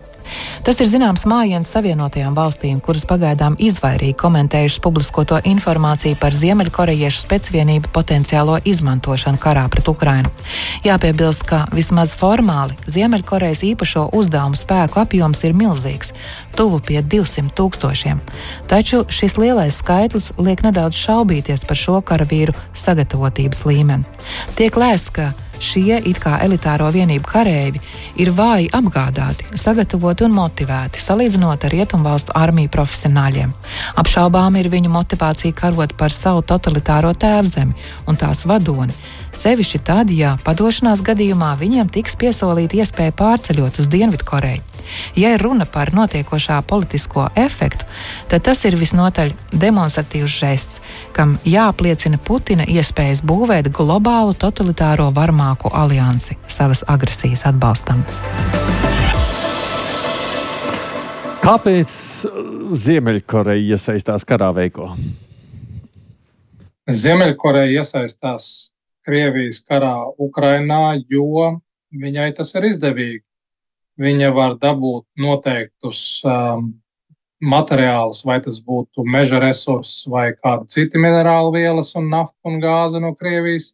S5: Tas ir zināms mājiens Savienotajām valstīm, kuras pagaidām izvairīgi komentējušas publiskoto informāciju par ziemeļkorejiešu specvienību potenciālo izmantošanu karā pret Ukrainu. Jāpiebilst, ka vismaz formāli Ziemeļkorejas īpašo uzdevumu spēku apjoms ir milzīgs, tuvu pie 200 000. Taču šis lielais skaitlis liek nedaudz šaubīties par šo karavīru sagatavotības līmeni. Tiek lēsts, ka šie it kā elitāro vienību kareivi ir vāji apgādāti, sagatavoti un motivēti, salīdzinot ar rietumvalstu armiju profesionāļiem. Apšaubām ir viņu motivācija karot par savu totalitāro tēvzemi un tās vadoni, sevišķi tad, ja padošanās gadījumā viņiem tiks piesolīta iespēja pārceļot uz Dienvidkoreju. Ja ir runa par notiekošā politisko efektu, tad tas ir visnotaļ demonstratīvs žests, kam jāapliecina Putina iespējas būvēt globālu totalitāro varmāku aliansi savas agresijas atbalstam.
S3: Kāpēc Ziemeļkoreja iesaistās karā, Veiko?
S6: Ziemeļkoreja iesaistās Krievijas karā Ukrainā, jo viņai tas ir izdevīgi. Viņa var dabūt noteiktus materiālus, vai tas būtu meža resursi vai kāda citi minerālu vielas un nafta un gāze no Krievijas.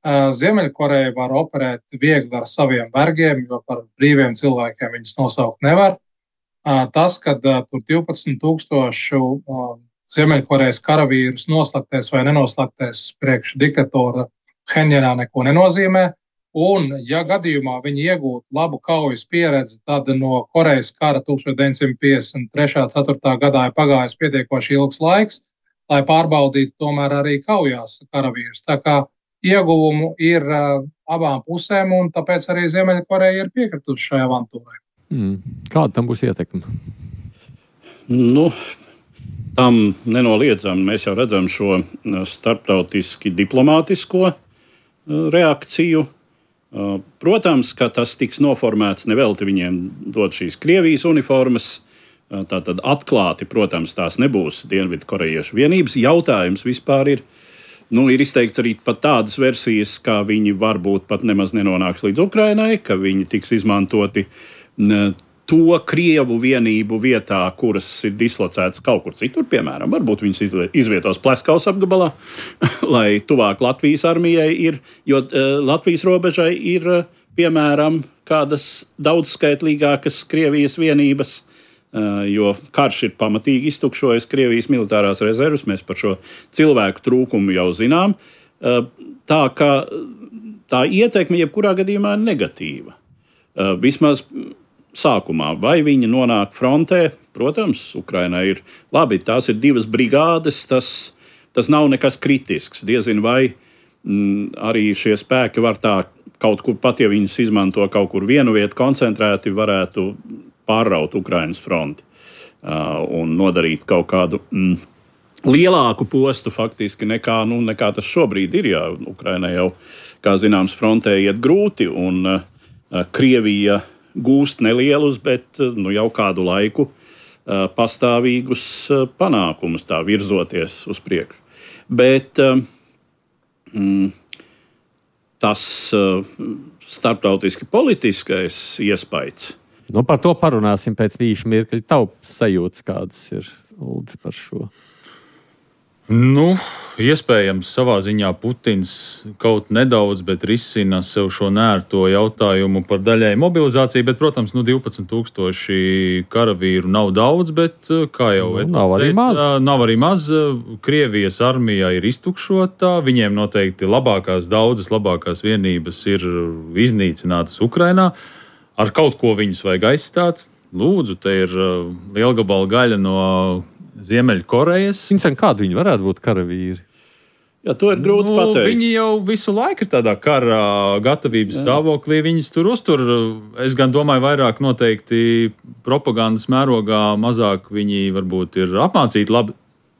S6: Ziemeļkoreja var operēt viegli ar saviem vergiem, jo par brīviem cilvēkiem viņus nosaukt nevar. Tas, kad tur 12 000 Ziemeļkorejas karavīrus noslaktēs vai nenoslaktēs priekš diktatora Phenjanā, neko nenozīmē. Un, ja gadījumā viņi iegūtu labu kaujas pieredzi, tad no Korejas kara 1953.4. gadā ir pagājis pietiekoši ilgs laiks, lai pārbaudītu tomēr arī kaujās karavīrus. Tā kā ieguvumu ir abām pusēm, un tāpēc arī Ziemeļkoreja ir piekritusi šai avantūrai.
S3: Kāda tam būs ietekme?
S2: Tam nenoliedzami mēs jau redzam šo starptautiski diplomātisko reakciju. Protams, ka tas tiks noformēts nevelti viņiem dot šīs Krievijas uniformas. Tātad atklāti, protams, tās nebūs dienvidkorejiešu vienības. Jautājums vispār ir izteikts arī pat tādas versijas, kā viņi varbūt pat nemaz nenonāks līdz Ukrainai, ka viņi tiks izmantoti to Krievu vienību vietā, kuras ir dislocētas kaut kur citur, piemēram, varbūt viņas izvietos Pleskaus apgabalā, lai tuvāk Latvijas armijai ir, jo Latvijas robežai ir, piemēram, kādas daudzskaitlīgākas Krievijas vienības, jo karš ir pamatīgi iztukšojis Krievijas militārās rezervas, mēs par šo cilvēku trūkumu jau zinām, tā ka tā ietekme jebkurā gadījumā ir negatīva. Vismaz sākumā, vai viņi nonāk frontē, protams, Ukrainai ir labi, tās ir 2 brigādes, tas nav nekas kritisks. Diezin vai arī šie spēki var tā kaut kur, pat ja viņus izmanto kaut kur vienu vietu koncentrēti, varētu pārraut Ukrainas fronti un nodarīt kaut kādu lielāku postu faktiski nekā tas šobrīd ir. Jā, Ukrainai jau, kā zināms, frontē iet grūti un Krievija gūst nelielus, bet jau kādu laiku pastāvīgus panākumus tā virzoties uz priekšu. Bet tas starptautiski politiskais iespējas.
S3: Par to parunāsim pēc īša mirkļa. Taupas sajūtas kādas ir, Uldis, par šo?
S4: Iespējams, savā ziņā Putins kaut nedaudz, bet risina sev šo nērto jautājumu par daļai mobilizāciju. Bet, protams, 12,000 karavīru nav daudz, bet, kā jau
S3: nav arī maz.
S4: Nav arī maz. Krievijas armija ir iztukšota. Viņiem noteikti daudzas labākās vienības ir iznīcinātas Ukrainā. Ar kaut ko viņus vajag aizstāt. Lūdzu, te ir liela gabala gaļa no Ziemeļkorejas.
S3: Kādi viņi varētu būt karavīri?
S2: Jā, to ir grūti pateikt.
S4: Viņi jau visu laiku ir tādā kara gatavības stāvoklī. Viņus tur uztur. Es gan domāju, vairāk noteikti propagandas mērogā, mazāk viņi varbūt ir apmācīti labi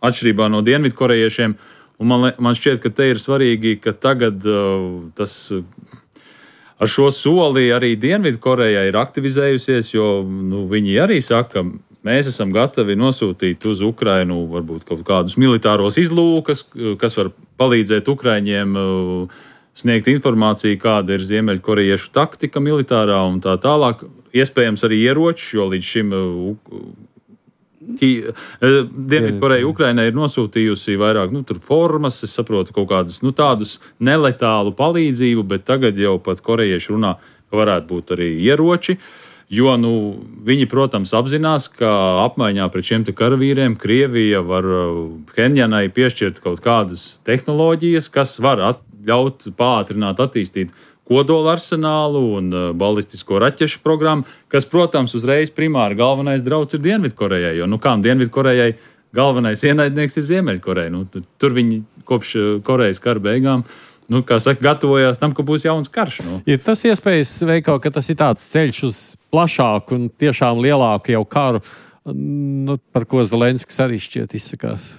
S4: atšķirībā no dienvidkorejiešiem. Un man šķiet, ka te ir svarīgi, ka tagad tas ar šo soli arī Dienvidkoreja ir aktivizējusies, jo viņi arī saka, mēs esam gatavi nosūtīt uz Ukrainu varbūt kaut kādus militāros izlūkas, kas var palīdzēt Ukraiņiem sniegt informāciju, kāda ir ziemeļkorejiešu taktika militārā un tā tālāk. Iespējams arī ieroči, jo līdz šim Dienvidkoreja Ukrainai ir nosūtījusi vairāk formas, es saprotu, kaut kādus tādus neletālu palīdzību, bet tagad jau pat korejieši runā, ka varētu būt arī ieroči. Jo viņi, protams, apzinās, ka apmaiņā pret šiem karavīriem Krievija var Phenjanai piešķirt kaut kādas tehnoloģijas, kas var ļaut pātrināt, attīstīt kodola arsenālu un balistisko raķešu programmu, kas, protams, uzreiz primāri galvenais drauds ir Dienvidkorejai. Jo Dienvidkorejai galvenais ienaidnieks ir Ziemeļkoreja. Tur viņi kopš Korejas kara beigām gatavojās tam, ka būs jauns karš.
S3: Ir tas iespējas, Veiko, ka tas ir tāds ceļš uz plašāku un tiešām lielāku jau karu, par ko Zelenskis arī šķiet izsakās?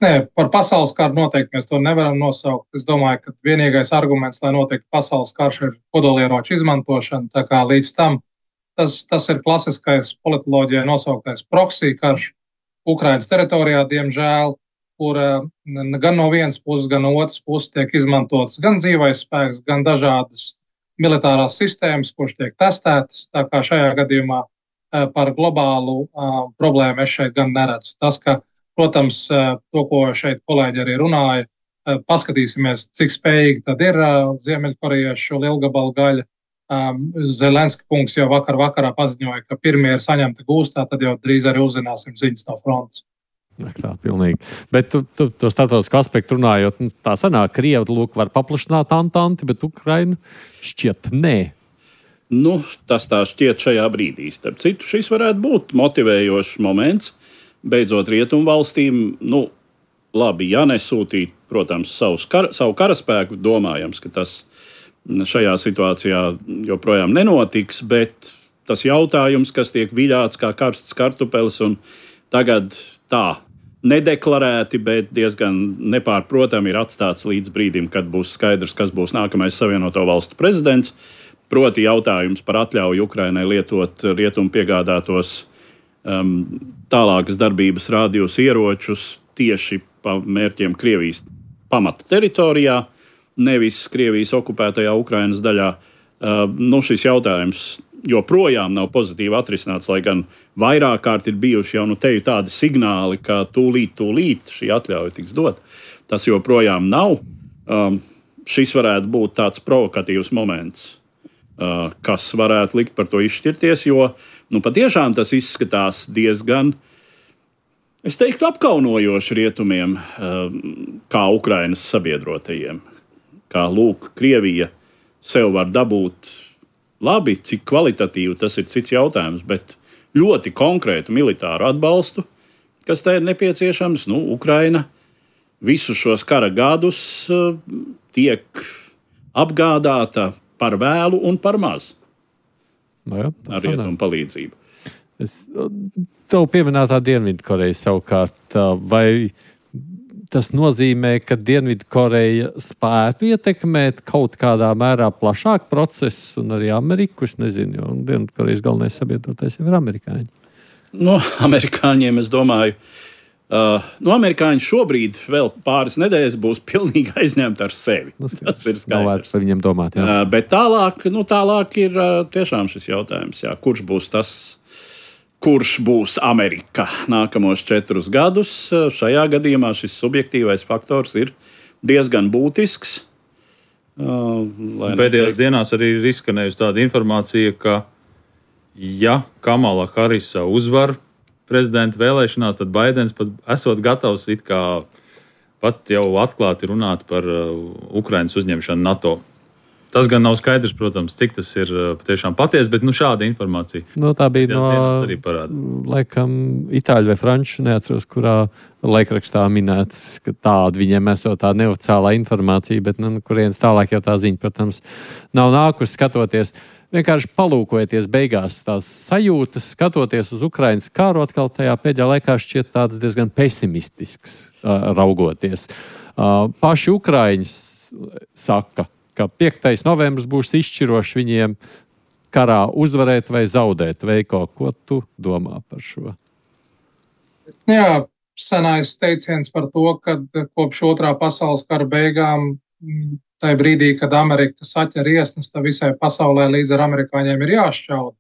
S6: Nē, par pasaules karu noteikti mēs to nevaram nosaukt. Es domāju, ka vienīgais arguments, lai noteikti pasaules karš, ir kodolieroču izmantošana. Tā kā līdz tam tas ir klasiskais politoloģijai nosauktais proxy karš Ukrainas teritorijā, diemžēl, kur gan no vienas puses, gan no otras puses tiek izmantots gan dzīvais spēks, gan dažādas militārās sistēmas, kuras tiek testētas. Tā kā šajā gadījumā par globālu problēmu es šeit gan neredzu. Tas, ka, protams, to, ko šeit kolēģi arī runāja, paskatīsimies, cik spējīgi tad ir ziemeļkorejieši šo lielgabalu gaļu. Zelenska kungs jau vakarā paziņoja, ka pirmie ir saņemti gūstā, tad jau drīz arī uzzināsim ziņas no frontes.
S3: Tā, pilnīgi. Bet to starptautisku aspektu runājot, tā sanāk, Krievi var paplašināt Antanti, bet Ukraina šķiet nē.
S2: Tas tā šķiet šajā brīdī. Starp citu, šis varētu būt motivējošs moments, beidzot rietumu valstīm, labi, ja nesūtīt, protams, savu karaspēku, domājams, ka tas šajā situācijā joprojām nenotiks, bet tas jautājums, kas tiek viļāts kā karsts kartupelis un tagad tā nedeklarēti, bet diezgan nepārprotami ir atstāts līdz brīdim, kad būs skaidrs, kas būs nākamais Savienoto Valstu prezidents. Proti jautājums par atļauju Ukrainai lietot rietumu piegādātos tālākas darbības rādījus ieročus tieši pa mērķiem Krievijas pamata teritorijā, nevis Krievijas okupētajā Ukrainas daļā. Šis jautājums joprojām nav pozitīvi atrisināts, lai gan vairāk kārt ir bijuši jau teju tādi signāli, ka tūlīt šī atļauja tiks dot. Tas joprojām nav. Šis varētu būt tāds provokatīvs moments, kas varētu likt par to izšķirties, jo patiešām tas izskatās diezgan, es teiktu, apkaunojoši rietumiem, kā Ukrainas sabiedrotajiem. Kā Krievija sev var dabūt labi, cik kvalitatīvi tas ir cits jautājums, bet ļoti konkrētu militāru atbalstu, kas tai ir nepieciešams. Ukraina visus šos kara gadus tiek apgādāta par vēlu un par maz ar rietumu palīdzību.
S3: Tev pieminētā Dienvidkoreja savukārt, vai tas nozīmē, ka Dienvidkoreja spētu ietekmēt kaut kādā mērā plašāk procesu un arī Ameriku? Es nezinu, jo Dienvidkorejas galvenais sabiedrotais jau ir amerikāņi.
S2: Amerikāņiem, es domāju, amerikāņi šobrīd vēl pāris nedēļas būs pilnīgi aizņemti ar sevi. Tas ir skaidrs.
S3: Nav vērts par viņiem domāt,
S2: bet tālāk ir tiešām šis jautājums, kurš būs tas, kurš būs Amerika nākamos 4 gadus. Šajā gadījumā šis subjektīvais faktors ir diezgan būtisks.
S4: Pēdējās dienās arī ir izskanējusi tāda informācija, ka, ja Kamala Harisa uzvar prezidenta vēlēšanās, tad Baidens pat esot gatavs it kā pat jau atklāti runāt par Ukrainas uzņemšanu NATO. Tas gan nav skaidrs, protams, cik tas ir patiešām patiesi, bet šāda informācija.
S3: Tā bija laikam itāļu vai franču, neatceros, kurā laikrakstā minēts, ka tāda viņiem esot tā neoficiālā informācija, bet kurienes tālāk jau tā ziņa, protams, nav nākusi skatoties. Vienkārši palūkojieties beigās tās sajūtas, skatoties uz Ukrainas karu, atkal tajā pēdējā laikā šķiet tāds diezgan pesimistisks raugoties. Paši Ukraiņas saka, ka 5. novembris būs izšķirošs viņiem karā uzvarēt vai zaudēt. Veiko, ko tu domā par šo?
S6: Jā, senais teiciens par to, ka kopš 2. pasaules kara beigām, tajā brīdī, kad Amerika saķer iesnas, tad visai pasaulē līdz ar amerikāņiem ir jāšķauda.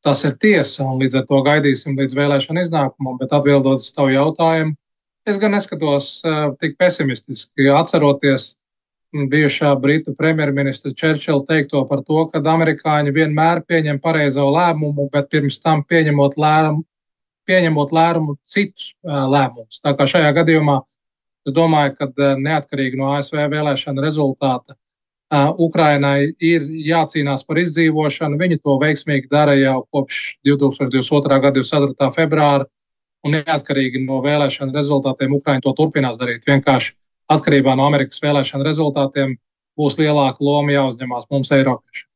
S6: Tas ir tiesa, un līdz ar to gaidīsim līdz vēlēšanu iznākumam, bet atbildot uz tavu jautājumu, es gan neskatos tik pesimistiski, atceroties bijušā Britu premjerministra Churchilla teikto par to, ka amerikāņi vienmēr pieņem pareizo lēmumu, bet pirms tam pieņemot lēmumu citus lēmumus. Tā kā šajā gadījumā es domāju, ka neatkarīgi no ASV vēlēšana rezultāta Ukrainai ir jācīnās par izdzīvošanu. Viņi to veiksmīgi dara jau kopš 2022. gada 24. februāra, un neatkarīgi no vēlēšana rezultātiem Ukraina to turpinās darīt. Vienkārši atkarībā no Amerikas vēlēšana rezultātiem būs lielāka loma jāuzņemās mums, Eiropiešiem.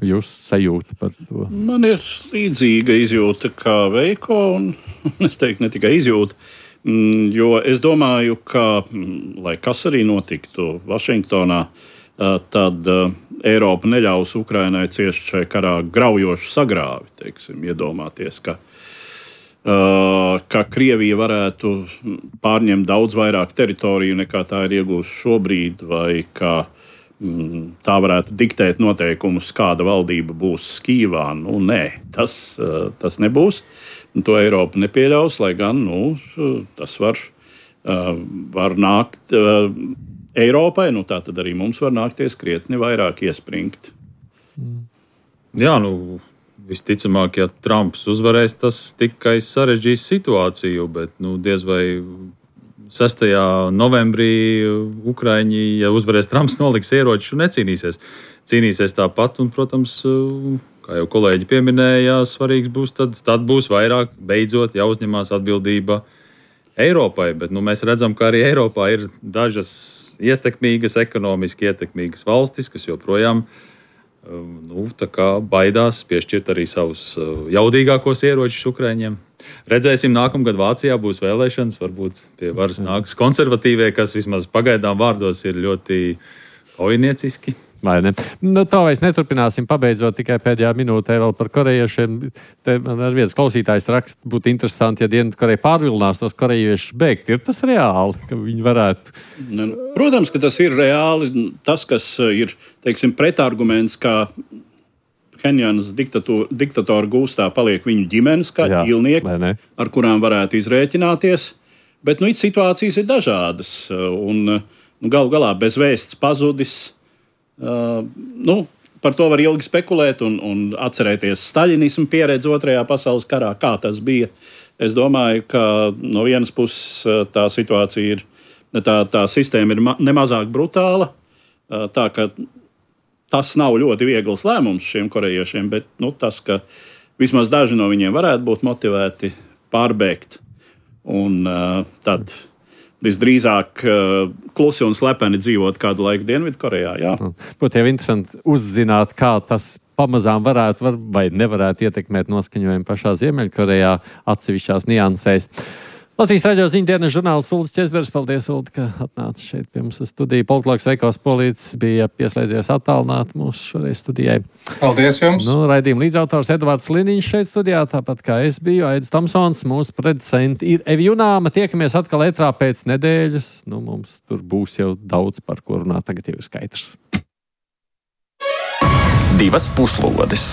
S3: Jūs sajūta par to?
S2: Man ir līdzīga izjūta kā Veiko, un es teiktu ne tikai izjūta, jo es domāju, ka, lai kas arī notiktu Vašingtonā, tad Eiropa neļaus Ukrainai ciest šai karā graujošu sagrāvi, teiksim, iedomāties, ka Krievija varētu pārņemt daudz vairāk teritoriju nekā tā ir iegūsta šobrīd, vai ka tā varētu diktēt noteikumus, kāda valdība būs Kijevā. Nē, tas nebūs. To Eiropa nepieļaus, lai gan tas var nākt Eiropai, tā tad arī mums var nākties krietni vairāk iespringt.
S4: Jā, visticamāk, ja Trumps uzvarēs, tas tikai sarežģīs situāciju, bet diez vai 6. novembrī Ukraiņi, ja uzvarēs Trumps, noliks ieročus un necīnīsies. Cīnīsies tāpat, un, protams, kā jau kolēģi pieminēja, svarīgs būs tad būs vairāk beidzot jāuzņemās atbildība Eiropai, bet mēs redzam, ka arī Eiropā ir dažas ietekmīgas, ekonomiski ietekmīgas valstis, kas joprojām baidās piešķirt arī savus jaudīgākos ieročus Ukraiņiem. Redzēsim, nākamgad Vācijā būs vēlēšanas, varbūt pie varas nāks konservatīvie, kas vismaz pagaidām vārdos ir ļoti kaujinieciski.
S3: Vai ne? Tā vairs neturpināsim, pabeidzot tikai pēdējā minūtē vēl par korejiešiem. Te man ar viens klausītājs raksts būtu interesanti, ja Dienvidkoreja pārvilinās tos korejiešus bēgt. Ir tas reāli, ka viņi varētu?
S2: Protams, ka tas ir reāli. Tas, kas ir, teiksim, pretarguments, kā Phenjanas diktatora gūstā paliek viņu ģimenes, kā ķīlnieki, ar kurām varētu izrēķināties. Bet situācijas ir dažādas. Un galu galā bez vēsts pazudis. Par to var ilgi spekulēt un atcerēties staļinismu pieredzi 2. pasaules karā, kā tas bija. Es domāju, ka no vienas puses tā situācija ir, tā sistēma ir nemazāk brutāla, tā ka tas nav ļoti viegls lēmums šiem korejiešiem, bet tas, ka vismaz daži no viņiem varētu būt motivēti pārbēgt un tad visdrīzāk klusi un slepeni dzīvot kādu laiku Dienvidkorejā.
S3: Būtu jau interesanti uzzināt, kā tas pamazām varētu vai nevarētu ietekmēt noskaņojumu pašā Ziemeļkorejā atsevišķās niansēs. Latvijas radio ziņdienas žurnālists Uldis Česbergs. Paldies, Uldi, ka atnāci šeit pie mums studijā. Politologs Veikos Polītis bija pieslēdzies attālināt mūsu šoreiz studijai.
S6: Paldies jums!
S2: Raidījuma līdzautors Edvards Liniņš šeit studijā, tāpat kā es biju, Aidis Tamsons, mūsu producenti ir Evi Junāma. Tiekamies atkal ētrā pēc nedēļas. Mums tur būs jau daudz par ko runāt, tagad jau ir skaidrs.
S1: 2 puslodes.